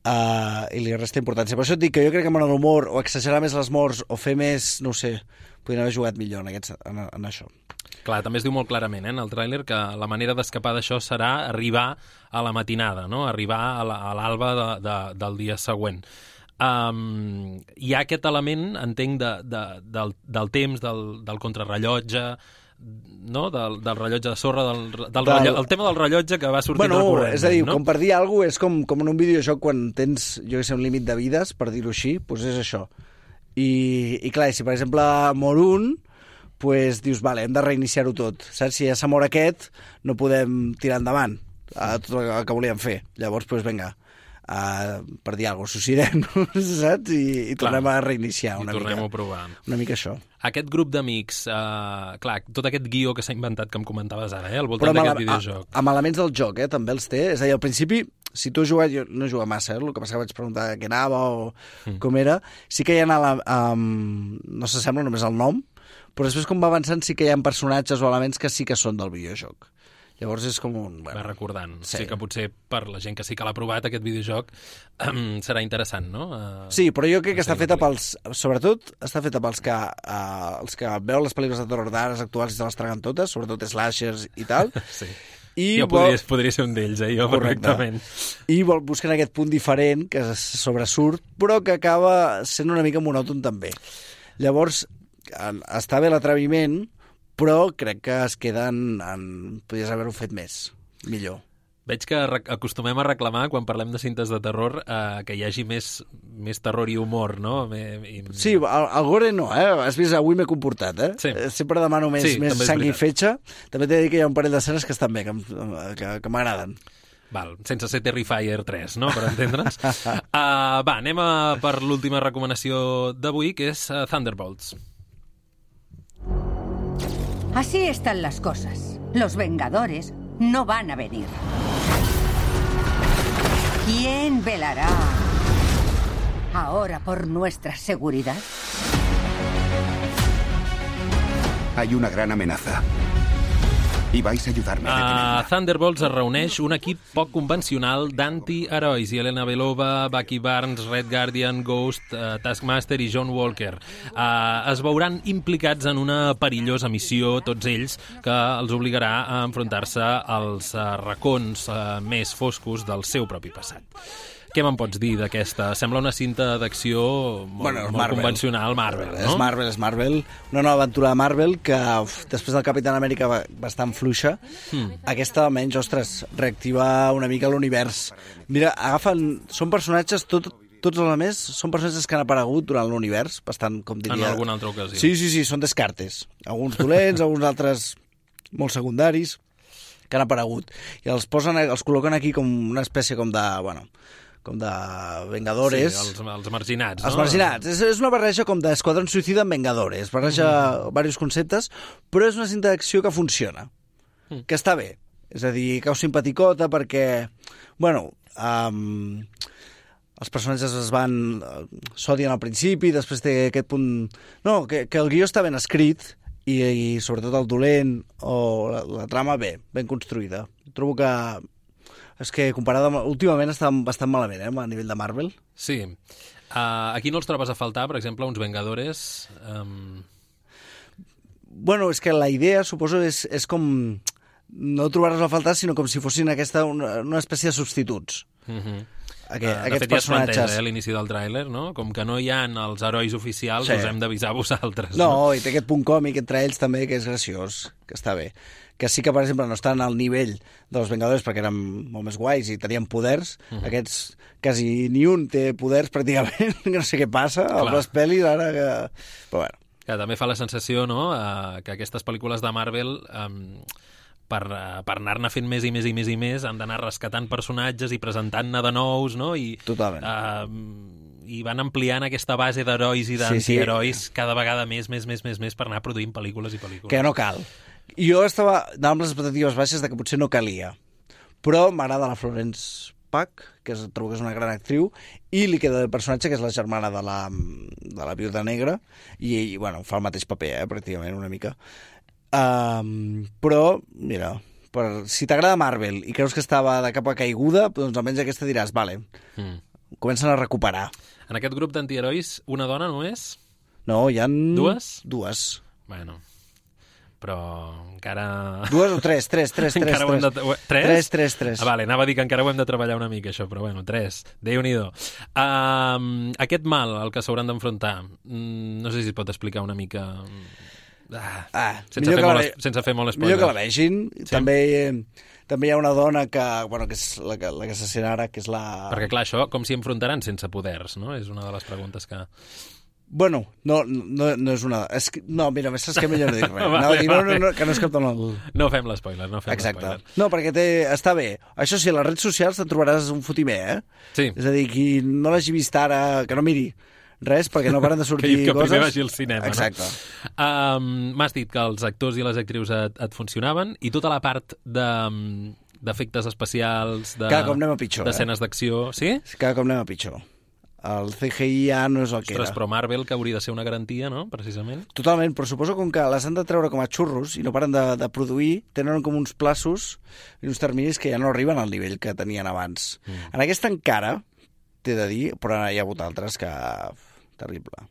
I li resta importància. Per això et dic que jo crec que amb l'humor o exagerar més les morts o fer més, no ho sé, podrien haver jugat millor en això. Clar, també es diu molt clarament en el tràiler que la manera d'escapar d'això serà arribar a la matinada, no? Arribar a l'alba del dia següent. Hi ha aquest element, entenc, del temps, del contrarrellotge, no? Del rellotge de sorra, el tema del rellotge que va sortint recurrent. És a dir, no? Com per dir alguna cosa, és com en un videojoc quan tens, jo que sé, un límit de vides, per dir-ho així, doncs és això. I clar, si per exemple mor un, doncs dius, vale, hem de reiniciar-ho tot. Saps? Si ja s'ha mort aquest, no podem tirar endavant a tot el que volíem fer. Llavors, doncs vinga, per dir alguna cosa, suïcidem, saps? I tornem a reiniciar una mica. I tornem a provar. Una mica això. Aquest grup d'amics, clar, tot aquest guió que s'ha inventat que em comentaves ara, al voltant d'aquest videojoc. Amb elements del joc, també els té. És a dir, al principi, si tu has jugat, jo no he jugat massa, el que passa que vaig preguntar què anava o com era, sí que hi ha no s'assembla només el nom, però després com va avançant sí que hi ha personatges o elements que sí que són del videojoc. Llavors és com un... Va recordant. Sí, que potser per la gent que sí que l'ha provat, aquest videojoc, serà interessant, no? Sí, però jo crec que està feta pels... Sobretot, està feta pels que els que veuen les pel·lícules de terror d'ara actuals i se les traguen totes, sobretot slashers i tal. Sí. Jo podria ser un d'ells, jo perfectament. I busquen aquest punt diferent que sobresurt, però que acaba sent una mica monòton també. Llavors, està bé l'atreviment, però crec que es queden podries haver-ho fet millor. Veig que acostumem a reclamar, quan parlem de cintes de terror, que hi hagi més terror i humor, no? Sí, el gore no, Has vist, avui m'he comportat, Sí. Sempre demano més sang i fetge. També t'he de dir que hi ha un parell d'escenes que estan bé, que m'agraden. Val, sense ser Terrifier 3, no?, per entendre'ns. Anem per l'última recomanació d'avui, que és Thunderbolts. Así están las cosas. Los Vengadores no van a venir. ¿Quién velará ahora por nuestra seguridad? Hay una gran amenaza. I vais a ayudarme a detenerla. A Thunderbolts es reuneix un equip poc convencional d'antiherois. Yelena Belova, Bucky Barnes, Red Guardian, Ghost, Taskmaster i John Walker. Es veuran implicats en una perillosa missió, tots ells, que els obligarà a enfrontar-se als racons més foscos del seu propi passat. Què me'n pots dir d'aquesta? Sembla una cinta d'acció molt convencional, Marvel, no? És Marvel. Una nova aventura de Marvel que, després del Capitán Amèrica bastant fluixa, aquesta almenys, reactiva una mica l'univers. Mira, són personatges, tots els més, són personatges que han aparegut durant l'univers, bastant, com diria... En alguna altra ocasió. Sí, són descartes. Alguns dolents, alguns altres molt secundaris, que han aparegut. I els col·loquen aquí com una espècie com com de Vengadores. Sí, els marginats, no? Els marginats. És una barreja com d'Esquadrón Suïcida amb Vengadores. Barreja diversos conceptes, però és una cinta d'acció que funciona, que està bé. És a dir, cau simpaticota perquè, bueno, els personatges s'odien al principi, després té aquest punt... No, que el guió està ben escrit i sobretot el dolent o la trama ben construïda. Trobo que... És que comparada amb... Últimament està bastant malament, a nivell de Marvel. Sí. Aquí no els trobes a faltar, per exemple, uns Vengadores... Bueno, és que la idea, suposo, és com... No trobar-los a faltar, sinó com si fossin una espècie de substituts. Aquests fet, personatges. Ja es planteja, l'inici del tràiler, no? Com que no hi ha els herois oficials, us hem d'avisar vosaltres. No, i té aquest punt còmic entre ells també, que és graciós, que està bé. Que sí que, per exemple, no estan al nivell dels Vengadores perquè eren molt més guais i tenien poders. Aquests, quasi ni un té poders, pràcticament. No sé què passa, a les pel·lis, ara que... Però bueno. Que també fa la sensació, no?, que aquestes pel·lícules de Marvel... per anar-ne fent més i més i més i més, han d'anar rescatant personatges i presentant-ne de nous, no? Totalment. I van ampliant aquesta base d'herois i d'antiherois cada vegada més per anar produint pel·lícules i pel·lícules. Que no cal. Jo estava amb les expectatives baixes de que potser no calia, però m'agrada la Florence Pugh, que trobo que és una gran actriu, i li queda el personatge, que és la germana de la Viuda Negra, i bueno, fa el mateix paper, pràcticament, una mica. Però, mira, si t'agrada Marvel i creus que estava de capa caiguda, doncs almenys aquesta diràs, vale, comencen a recuperar. En aquest grup d'antiherois, una dona només? No, hi ha... Dues? Dues. Bueno, però encara... Dues o tres? Tres. Tres? Tres. Vale, anava a dir que encara ho hem de treballar una mica, això, però bueno, tres. Déu-n'hi-do. Aquest mal al que s'hauran d'enfrontar, no sé si es pot explicar una mica... sense fer molt spoiler. Millor que la vegin. Sí? També hi ha una dona que és la que s'assina ara, que és la... Perquè clar, això com s'hi enfrontaran sense poders, no? És una de les preguntes que... Bueno, no és una... No, mira, saps que millor no dic res. Que no és cap ton el... No fem l'espoiler, Exacte. No, perquè està bé. Això sí, a les redes socials te'n trobaràs un fotimer, Sí. És a dir, qui no l'hagi vist ara, que no miri res, perquè no paren de sortir que coses. Que primer vagi al cinema, Exacte. No? M'has dit que els actors i les actrius et funcionaven, i tota la part d'efectes especials, cada cop anem a pitjor, d'escenes d'acció, sí? Cada cop anem a pitjor. El CGI ja no és el que era. Però Marvel, que hauria de ser una garantia, no?, precisament. Totalment, però suposo com que les han de treure com a xurros i no paren de produir, tenen com uns plaços i uns terminis que ja no arriben al nivell que tenien abans. En aquesta encara, t'he de dir, però hi ha hagut altres que... Terrible.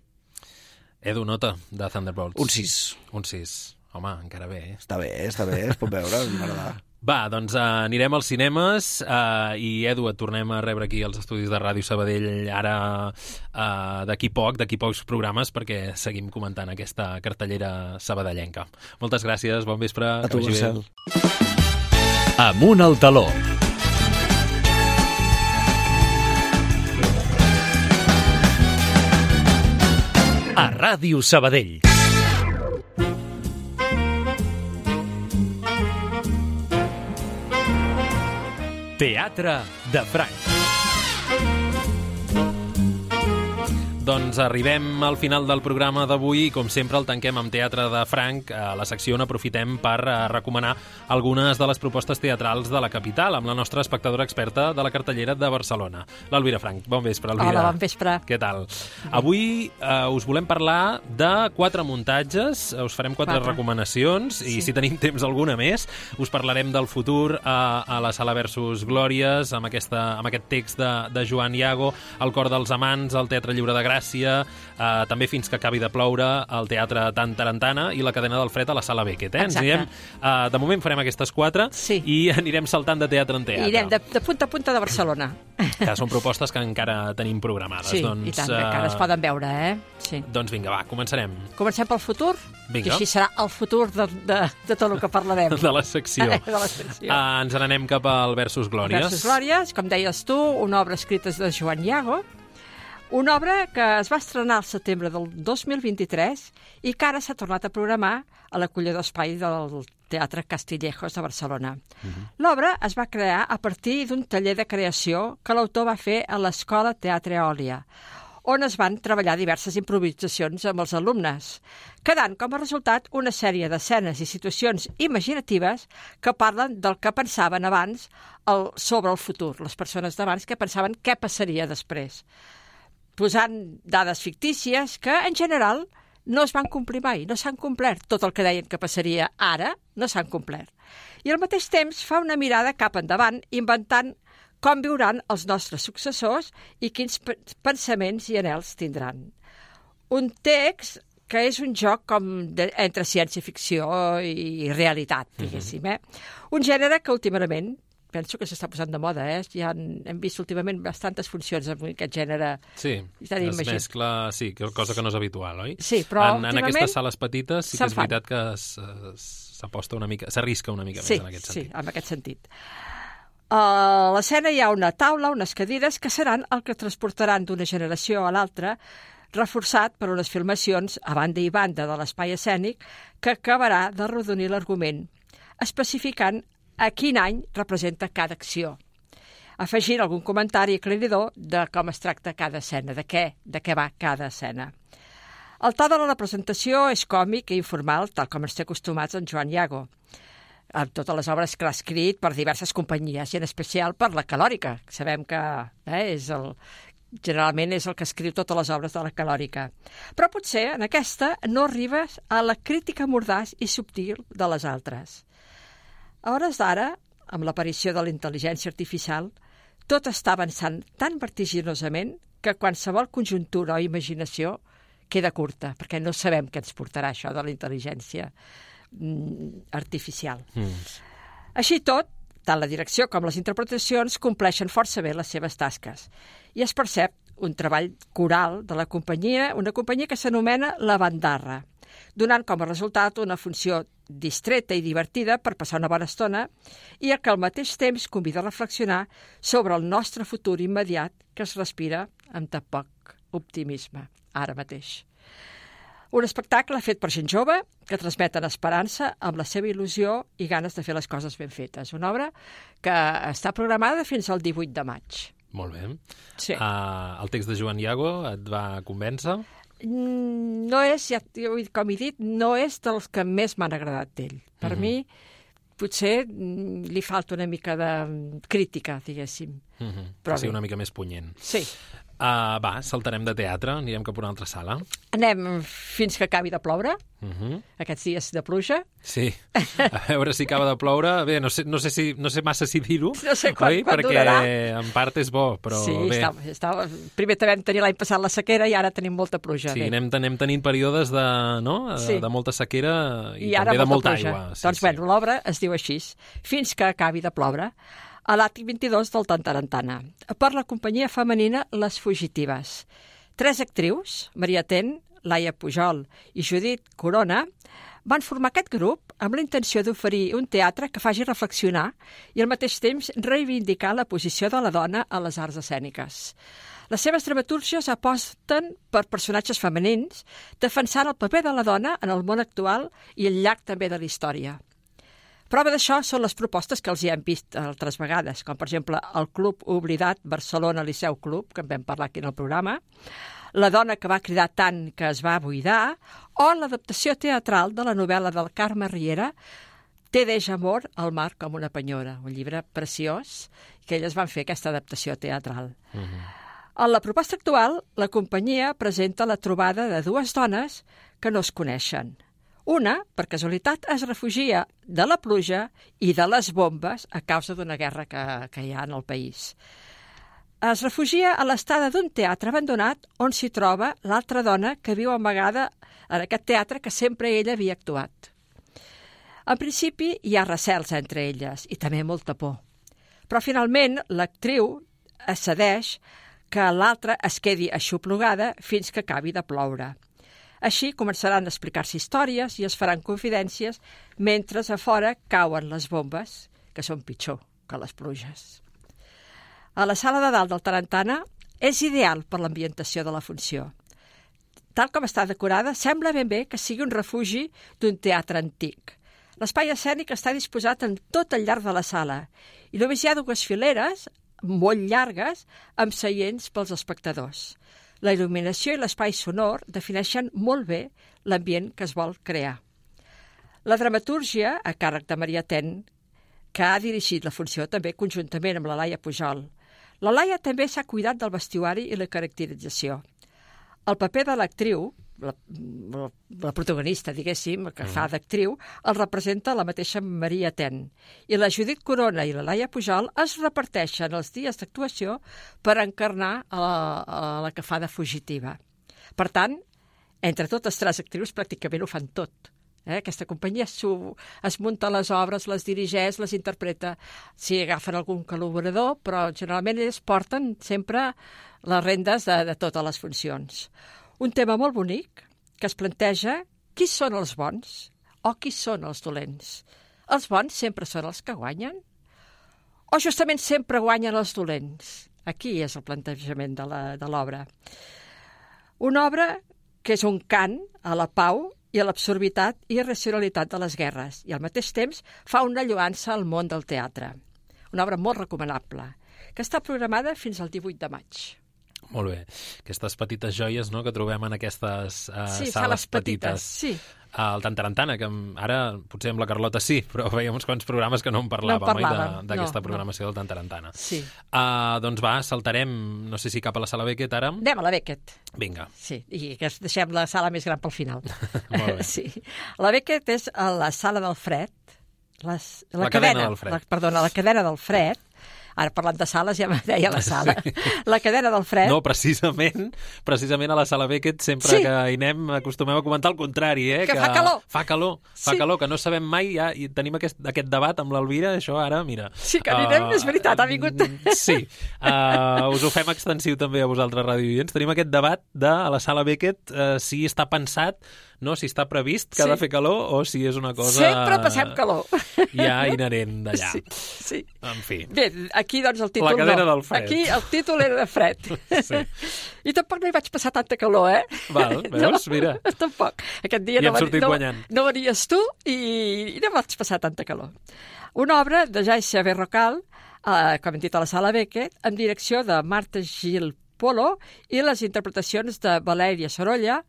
Edu, nota de Thunderbolts. Un 6. Un 6. Home, encara bé. Està bé, es pot veure, m'agrada. Va, doncs anirem als cinemes i, Edu, et tornem a rebre aquí als estudis de Ràdio Sabadell ara d'aquí pocs programes, perquè seguim comentant aquesta cartellera sabadellenca. Moltes gràcies, bon vespre. A tu, Marcel. Amunt al taló. A Ràdio Sabadell. Teatre de Franc. Doncs arribem al final del programa d'avui i, com sempre, el tanquem amb Teatre de Franc. A la secció on aprofitem per recomanar algunes de les propostes teatrals de la capital amb la nostra espectadora experta de la cartellera de Barcelona, l'Elvira Franc. Bon vespre, Elvira. Hola, bon vespre. Què tal? Avui us volem parlar de 4 muntatges, us farem 4 recomanacions i si tenim temps alguna més, us parlarem del futur a la Sala Versus Glòries, amb aquest text de Joan Iago, El cor dels amants, al Teatre Lliure de Gràcia, també Fins que acabi de ploure al Teatre Tan Tarantana i La cadena del fred a la Sala Beckett. De moment farem aquestes 4 i anirem saltant de teatre en teatre. Irem de punta a punta de Barcelona. Que són propostes que encara tenim programades. Sí, i tant, que encara es poden veure, Sí. Doncs vinga, va, començarem. Comencem pel futur? Vinga. Que així serà el futur de tot el que parlarem. De la secció. Ens n'anem cap al Versus Glòries. Versus Glòries, com deies tu, una obra escrita de Joan Iago, una obra que es va estrenar al setembre del 2023 i que ara s'ha tornat a programar a l'acollidor espai del Teatre Castillejos de Barcelona. L'obra es va crear a partir d'un taller de creació que l'autor va fer a l'Escola Teatre Eòlia, on es van treballar diverses improvisacions amb els alumnes, quedant com a resultat una sèrie d'escenes i situacions imaginatives que parlen del que pensaven abans sobre el futur, les persones d'abans que pensaven què passaria després, posant dades fictícies que, en general, no es van complir mai, no s'han complert. Tot el que deien que passaria ara no s'han complert. I al mateix temps fa una mirada cap endavant, inventant com viuran els nostres successors i quins pensaments i anhels tindran. Un text que és un joc entre ciència-ficció i realitat, diguéssim. Un gènere que últimament penso que s'està posant de moda, Ja hem vist últimament bastantes funcions amb aquest gènere. Sí, es mescla, sí, cosa que no és habitual, oi? Sí, però en aquestes sales petites sí que és veritat que s'aposta una mica, s'arrisca una mica més en aquest sentit. Sí, en aquest sentit. A l'escena hi ha una taula, unes cadires, que seran el que transportaran d'una generació a l'altra, reforçat per unes filmacions a banda i banda de l'espai escènic que acabarà de rodonir l'argument, especificant a quin any representa cada acció, afegint algun comentari aclaridor de com es tracta cada escena, de què va cada escena. El to de la representació és còmic i informal, tal com ens té acostumats en Joan Iago, amb totes les obres que l'ha escrit per diverses companyies, i en especial per la Calòrica. Sabem que generalment és el que escriu totes les obres de la Calòrica. Però potser en aquesta no arribes a la crítica mordaç i subtil de les altres. A hores d'ara, amb l'aparició de la intel·ligència artificial, tot està avançant tan vertiginosament que qualsevol conjuntura o imaginació queda curta, perquè no sabem què ens portarà això de la intel·ligència artificial. Així tot, tant la direcció com les interpretacions compleixen força bé les seves tasques, i es percep un treball coral de la companyia, una companyia que s'anomena La Bandarra, donant com a resultat una funció distreta i divertida per passar una bona estona i que al mateix temps convida a reflexionar sobre el nostre futur immediat que es respira amb tan poc optimisme ara mateix. Un espectacle fet per gent jove que transmeten esperança amb la seva il·lusió i ganes de fer les coses ben fetes. Una obra que està programada fins al 18 de maig. Molt bé. Sí. El text de Joan Iago et va convèncer? No és, com he dit, no és dels que més m'han agradat d'ell. Per mi, potser li falta una mica de crítica, diguéssim. Però sí, una mica més punyent. Sí. Va, saltarem de teatre, anirem cap a una altra sala. Anem fins que acabi de ploure, aquests dies de pluja. Sí, a veure si acaba de ploure. Bé, no sé massa si dir-ho, no sé quan perquè durarà. En part és bo, però sí, bé. Primer vam tenir l'any passat la sequera i ara tenim molta pluja. Sí, anem tenint períodes de molta sequera i també de molta aigua. Doncs bé, l'obra es diu així, Fins que acabi de ploure, a l'Àtic 22 del Tantarantana, per la companyia femenina Les Fugitives. 3 actrius, Maria Ten, Laia Pujol i Judit Corona, van formar aquest grup amb la intenció d'oferir un teatre que faci reflexionar i al mateix temps reivindicar la posició de la dona a les arts escèniques. Les seves dramatúrgies aposten per personatges femenins, defensant el paper de la dona en el món actual i al llarg també de la història. Prova d'això són les propostes que els hi hem vist altres vegades, com per exemple el Club Oblidat Barcelona Liceu Club, que en vam parlar aquí en el programa, La dona que va cridar tant que es va buidar, o l'adaptació teatral de la novel·la del Carme Riera, Té d'eix amor al mar com una penyora, un llibre preciós, que elles van fer aquesta adaptació teatral. En la proposta actual, la companyia presenta la trobada de 2 dones que no es coneixen. Una, per casualitat, es refugia de la pluja i de les bombes a causa d'una guerra que hi ha en el país. Es refugia a l'estada d'un teatre abandonat on s'hi troba l'altra dona que viu amagada en aquest teatre que sempre ella havia actuat. En principi hi ha recels entre elles i també molta por. Però finalment l'actriu cedeix que l'altra es quedi aixoplugada fins que acabi de ploure. Així començaran a explicar-se històries i es faran confidències mentre a fora cauen les bombes, que són pitjor que les pluges. A la sala de dalt del Tarantana és ideal per l'ambientació de la funció. Tal com està decorada, sembla ben bé que sigui un refugi d'un teatre antic. L'espai escènic està disposat en tot el llarg de la sala i només hi ha 2 fileres molt llargues amb seients pels espectadors. La il·luminació i l'espai sonor defineixen molt bé l'ambient que es vol crear. La dramatúrgia, a càrrec de Maria Ten, que ha dirigit la funció també conjuntament amb la Laia Pujol. La Laia també s'ha cuidat del vestuari i la caracterització. El paper de l'actriu, la protagonista, diguéssim, que fa d'actriu, el representa la mateixa Maria Ten. I la Judit Corona i la Laia Pujol es reparteixen els dies d'actuació per encarnar a la que fa de fugitiva. Per tant, entre totes 3 actrius pràcticament ho fan tot. Aquesta companyia es munta les obres, les dirigeix, les interpreta. Sí, agafen algun col·laborador, però generalment ells porten sempre les rendes de totes les funcions. Un tema molt bonic que es planteja qui són els bons o qui són els dolents. Els bons sempre són els que guanyen? O justament sempre guanyen els dolents? Aquí és el plantejament de l'obra. Una obra que és un cant a la pau i a l'absurditat i irracionalitat de les guerres, i al mateix temps fa una lloança al món del teatre. Una obra molt recomanable, que està programada fins al 18 de maig. Molt bé. Aquestes petites joies, no?, que trobem en aquestes sales petites. Sí. El Tantarantana, que ara potser amb la Carlota sí, però veiem uns quants programes que no en parlàvem, d'aquesta programació del Tantarantana. Sí. Doncs va, saltarem, no sé si cap a la Sala Beckett ara. Anem a la Beckett. Vinga. Sí, i que deixem la sala més gran pel final. Molt bé. Sí. La Beckett és a la Sala del Fred. La cadena del Fred. La cadena del Fred. Ara, parlant de sales, ja me deia la sala. Sí. La cadena del Fred. No, precisament a la Sala Beckett, sempre que hi anem, acostumem a comentar el contrari, que fa calor. Fa calor, que no sabem mai, ja, i tenim aquest debat amb l'Elvira, això ara, mira. Sí, que anirem, és veritat, ha vingut. Sí, us ho fem extensiu també a vosaltres, radioients. Tenim aquest debat a la Sala Beckett, si està pensat, no, si està previst que ha de fer calor o si és una cosa... Sempre passem calor. Ja inherent d'allà. Sí. En fi. Bé, aquí doncs el títol la cadena del fred. Aquí el títol era de fred. Sí. I tampoc no hi vaig passar tanta calor, Val, veus? Mira. Tampoc. Aquest dia no venies tu i no vaig passar tanta calor. Una obra de Jaixa Berrocal, com hem dit a la Sala Beckett, amb direcció de Marta Gil Polo i les interpretacions de Valèria Sorolla,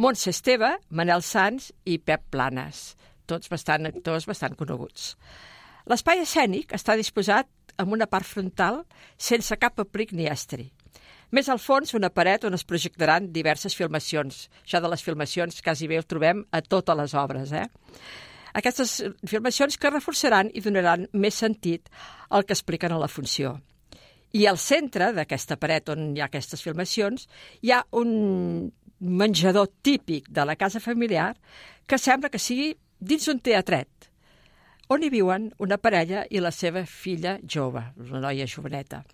Montse Esteve, Manel Sans i Pep Planes, tots actors bastant coneguts. L'espai escènic està disposat amb una part frontal sense cap aplic ni estri. Més al fons, una paret on es projectaran diverses filmacions. Això de les filmacions quasi bé ho trobem a totes les obres, Aquestes filmacions que reforçaran i donaran més sentit al que expliquen a la funció. I al centre d'aquesta paret on hi ha aquestes filmacions hi ha un menjador típic de la casa familiar que sembla que sigui dins un teatret, on hi viuen una parella i la seva filla jove, una noia joveneta.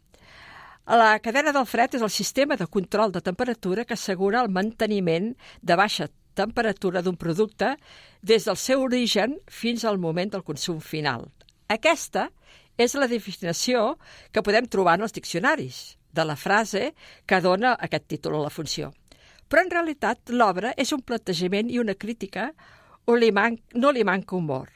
La cadena del fred és el sistema de control de temperatura que assegura el manteniment de baixa temperatura d'un producte des del seu origen fins al moment del consum final. Aquesta és la definició que podem trobar en els diccionaris de la frase que dona aquest títol a la funció. Però en realitat l'obra és un plantejament i una crítica on no li manca humor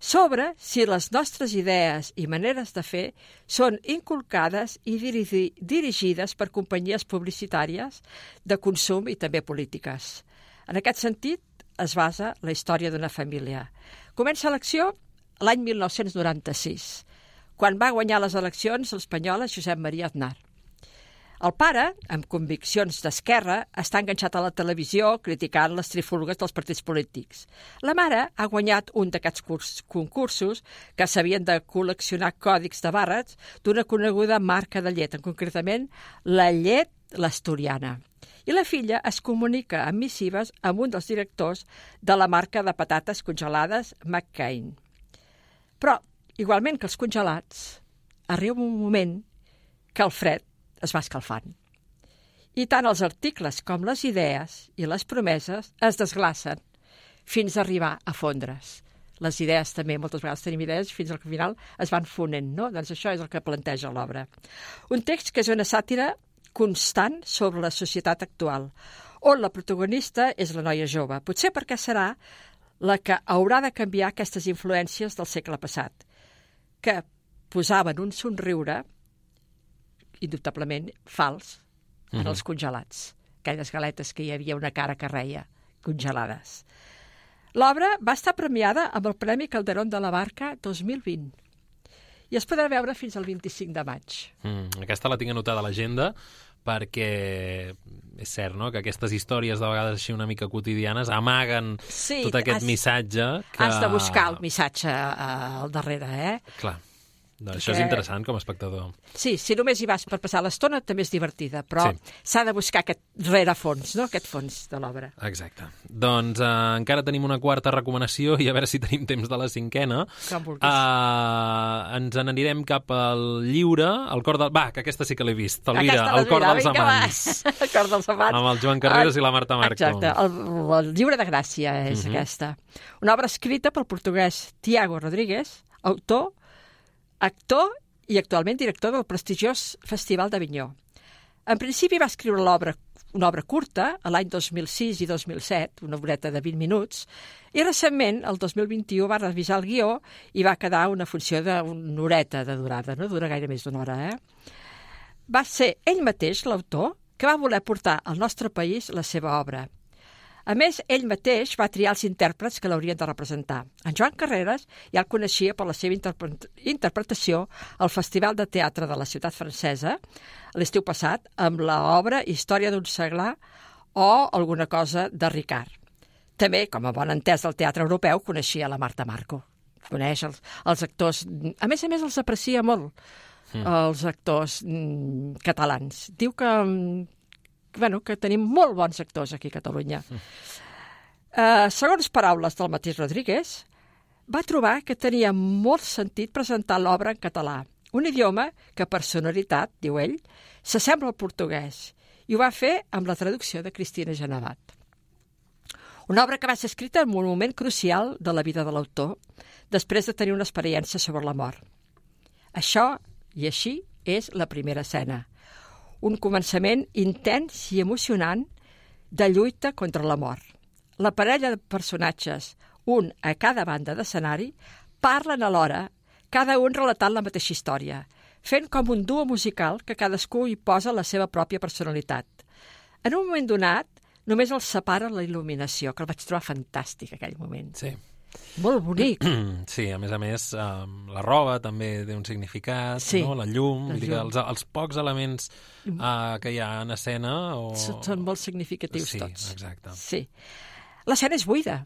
sobre si les nostres idees i maneres de fer són inculcades i dirigides per companyies publicitàries de consum i també polítiques. En aquest sentit es basa la història d'una família. Comença l'acció l'any 1996, quan va guanyar les eleccions l'espanyola Josep Maria Aznar. El pare, amb conviccions d'esquerra, està enganxat a la televisió criticant les trifulgues dels partits polítics. La mare ha guanyat un d'aquests concursos que s'havien de col·leccionar còdics de barres d'una coneguda marca de llet, concretament la llet l'Asturiana. I la filla es comunica amb missives amb un dels directors de la marca de patates congelades McCain. Però, igualment que els congelats, arriba un moment que el fred es va escalfant. I tant els articles com les idees i les promeses es desglacen fins a arribar a fondre's. Les idees també, moltes vegades tenim idees, fins al final es van fonent, no? Doncs això és el que planteja l'obra. Un text que és una sàtira constant sobre la societat actual, on la protagonista és la noia jove. Potser perquè serà la que haurà de canviar aquestes influències del segle passat, que posaven un somriure indubtablement fals en els congelats, aquelles galetes que hi havia una cara que reia, congelades. L'obra va estar premiada amb el Premi Calderón de la Barca 2020 i es podrà veure fins al 25 de maig. Aquesta la tinc anotada a l'agenda perquè és cert, no?, que aquestes històries de vegades així una mica quotidianes amaguen tot aquest missatge que... Has de buscar el missatge al darrere, Clar. Doncs això és interessant com a espectador. Sí, si només hi vas per passar l'estona també és divertida, però s'ha de buscar aquest rerefons, no?, aquest fons de l'obra. Exacte. Doncs encara tenim una quarta recomanació i a veure si tenim temps de la cinquena. Com vulguis. Ens n'anirem cap al lliure, el cor del... Va, que aquesta sí que l'he vist, Elvira, el cor dels amants. El cor dels amants. Amb el Joan Carreras i la Marta Marco. Exacte, el lliure de Gràcia és aquesta. Una obra escrita pel portuguès Tiago Rodríguez, autor, actor i actualment director del prestigiós Festival d'Avinyó. En principi va escriure una obra curta, a l'any 2006 i 2007, una obreta de 20 minuts, i recentment, el 2021, va revisar el guió i va quedar una funció d'una horeta de durada, no dura gaire més d'una hora. Va ser ell mateix, l'autor, que va voler portar al nostre país la seva obra. A més, ell mateix va triar els intèrprets que l'haurien de representar. En Joan Carreras ja el coneixia per la seva interpretació al Festival de Teatre de la Ciutat Francesa l'estiu passat amb l'obra Història d'un seglar o alguna cosa de Ricard. També, com a bon entès del teatre europeu, coneixia la Marta Marco. Coneix els actors... A més, els aprecia molt, els actors catalans. Diu que tenim molt bons actors aquí a Catalunya. Segons paraules del mateix Rodríguez, va trobar que tenia molt sentit presentar l'obra en català, un idioma que per sonoritat, diu ell, s'assembla al portuguès, i ho va fer amb la traducció de Cristina Genevat. Una obra que va ser escrita en un moment crucial de la vida de l'autor, després de tenir una experiència sobre la mort. Això, i així, és la primera escena. Un començament intens i emocionant de lluita contra la mort. La parella de personatges, un a cada banda d'escenari, parlen alhora, cada un relatant la mateixa història, fent com un duo musical que cadascú hi posa la seva pròpia personalitat. En un moment donat, només els separa la il·luminació, que el vaig trobar fantàstic, aquell moment. Sí. Molt bonic. Sí, a més, la roba també té un significat, no? La llum, els pocs elements que hi ha en escena... Són molt significatius tots. Sí, exacte. Sí. L'escena és buida.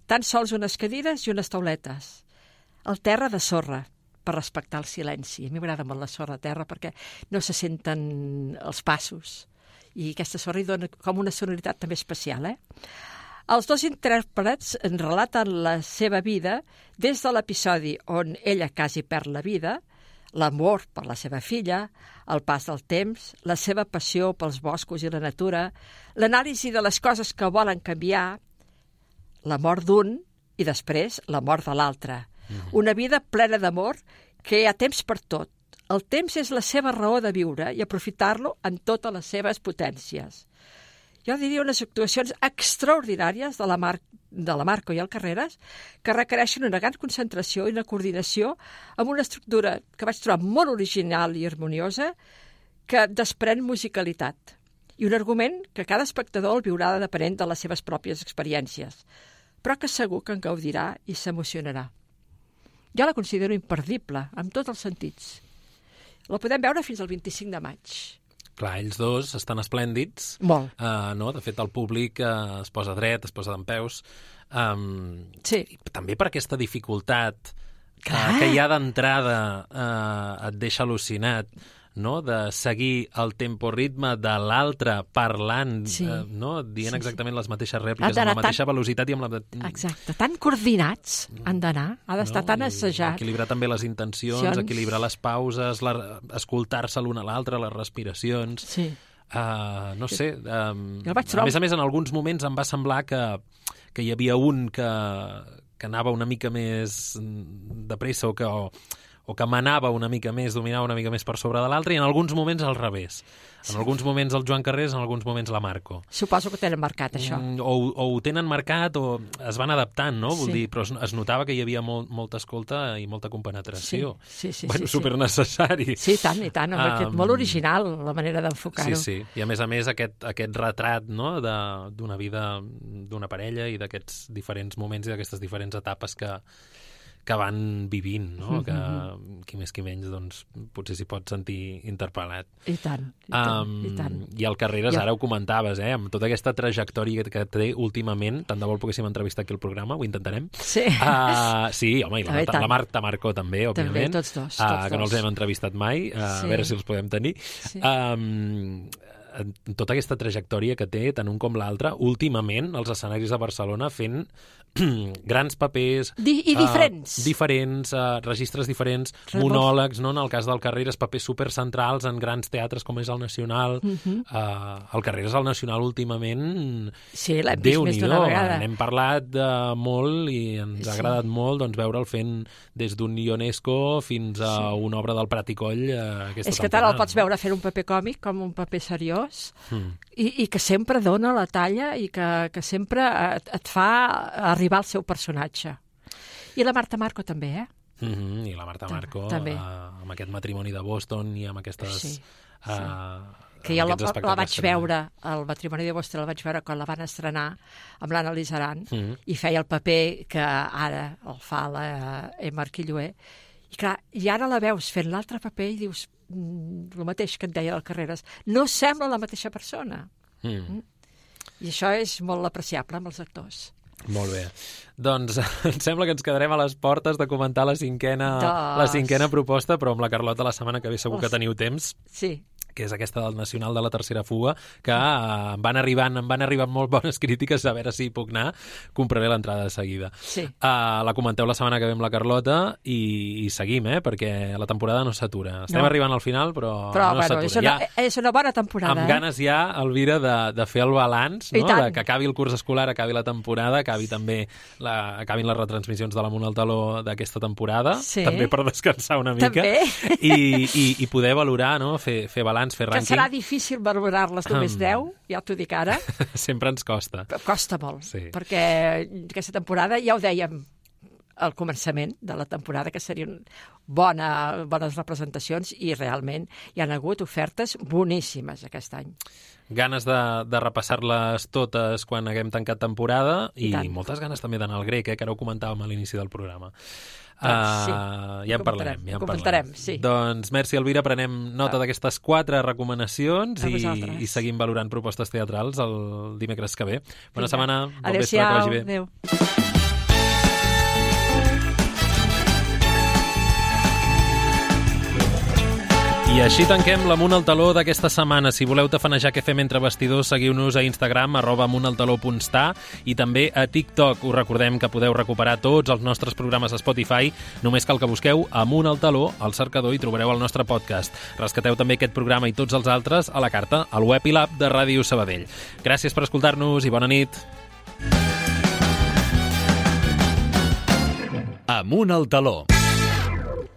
Tan sols unes cadires i unes tauletes. El terra de sorra, per respectar el silenci. A mi m'agrada molt la sorra a terra perquè no se senten els passos. I aquesta sorra hi dona com una sonoritat també especial, Els dos intèrprets relaten la seva vida des de l'episodi on ella quasi perd la vida, l'amor per la seva filla, el pas del temps, la seva passió pels boscos i la natura, l'anàlisi de les coses que volen canviar, la mort d'un i després la mort de l'altre. Una vida plena d'amor que hi ha temps per tot. El temps és la seva raó de viure i aprofitar-lo en totes les seves potències. Jo diria unes actuacions extraordinàries de la Marco i el Carreras que requereixen una gran concentració i una coordinació amb una estructura que vaig trobar molt original i harmoniosa que desprèn musicalitat i un argument que cada espectador el viurà depenent de les seves pròpies experiències, però que segur que en gaudirà i s'emocionarà. Jo la considero imperdible, amb tots els sentits. La podem veure fins al 25 de maig. Clar, ells dos estan esplèndids. Molt. No? De fet, el públic es posa dret, es posa dempeus. Sí. També per aquesta dificultat que hi ha d'entrada et deixa al·lucinat, no? De seguir el tempo-ritme de l'altre parlant, no? Dient exactament les mateixes rèpliques, amb la mateixa velocitat i amb la... Exacte, tan coordinats han d'anar, ha d'estar tan assajat. Equilibrar també les intencions, equilibrar les pauses, escoltar-se l'un a l'altre, les respiracions... Sí. No sé, a més, en alguns moments em va semblar que hi havia un que anava una mica més de pressa o que manava una mica més, dominava una mica més per sobre de l'altre, i en alguns moments al revés. En alguns moments el Joan Carrers, en alguns moments la Marco. Suposo que ho tenen marcat, això. O ho tenen marcat o es van adaptant, no? Vull dir, però es notava que hi havia molta escolta i molta compenetració. Sí. Super necessari. Sí, i tant. Molt original, la manera d'enfocar-ho. Sí. I a més, aquest retrat, no?, d'una vida d'una parella i d'aquests diferents moments i d'aquestes diferents etapes que van vivint, no? Que qui més qui menys, doncs, potser s'hi pot sentir interpel·lat. I tant. I el Carreras, ara ho comentaves, amb tota aquesta trajectòria que té últimament, tant de bo el poguéssim entrevistar aquí al programa, ho intentarem. Sí. Sí, home, i la Marta Marco també, òbviament. També, tots dos. Que no els hem entrevistat mai, a veure si els podem tenir. Sí. Tota aquesta trajectòria que té, tant un com l'altre, últimament, als escenaris de Barcelona, fent grans papers... I diferents. Diferents, registres diferents, monòlegs, no? En el cas del Carreras, papers supercentrals en grans teatres com és el Nacional. El Carreras al Nacional últimament... Sí, l'hem vist més d'una vegada. N'hem parlat molt i ens ha agradat molt veure'l fent des d'un Ionesco fins a una obra del Prat i Coll aquesta temporada. És que tant el pots veure fent un paper còmic com un paper seriós i que sempre dona la talla i que sempre et fa arribar al seu personatge. I la Marta Marco també, I la Marta Marco amb aquest matrimoni de Boston i amb aquestes... que jo la vaig veure, el matrimoni de Boston el vaig veure quan la van estrenar amb l'Anna Lizaran i feia el paper que ara el fa la Emma Arquilloé. I clar, i ara la veus fent l'altre paper i dius el mateix que et deia el Carreras. No sembla la mateixa persona. I això és molt apreciable amb els actors. Molt bé. Doncs em sembla que ens quedarem a les portes de comentar la cinquena proposta, però amb la Carlota la setmana que ve segur que teniu temps. Sí. Que és aquesta del Nacional de la Tercera Fuga, que em van arribant molt bones crítiques, a veure si hi puc anar. Compraré l'entrada de seguida. Sí. La comenteu la setmana que ve amb la Carlota i seguim, perquè la temporada no s'atura. Estem arribant al final, però no s'atura. És una bona temporada. Amb ganes ja, Elvira, de fer el balanç, no? De que acabi el curs escolar, acabi la temporada, acabi també acabin les retransmissions de l'Amunt al Taló d'aquesta temporada, també per descansar una mica. I poder valorar, no? Fer balanç, fer rànquing. Que serà difícil valorar-les només 10, ja t'ho dic ara. Sempre ens costa. Costa molt, perquè aquesta temporada, ja ho dèiem al començament de la temporada, que serien bones representacions, i realment hi han hagut ofertes boníssimes aquest any. Ganes de repassar-les totes quan haguem tancat temporada i moltes ganes també d'anar al grec, que ara ho comentàvem a l'inici del programa. Ja en parlarem. Sí. Doncs merci, Elvira, prenem nota d'aquestes 4 recomanacions i seguim valorant propostes teatrals el dimecres que ve. Bona setmana, bon vespre, que vagi bé. Adéu. I així tanquem l'Amunt al Taló d'aquesta setmana. Si voleu tafanejar què fem entre bastidors, seguiu-nos a Instagram, @amuntaltaló.sta, i també a TikTok. Us recordem que podeu recuperar tots els nostres programes a Spotify. Només cal que busqueu Amunt al Taló al cercador i trobareu el nostre podcast. Rescateu també aquest programa i tots els altres a la carta, al web i l'app de Ràdio Sabadell. Gràcies per escoltar-nos i bona nit. Amunt al Taló.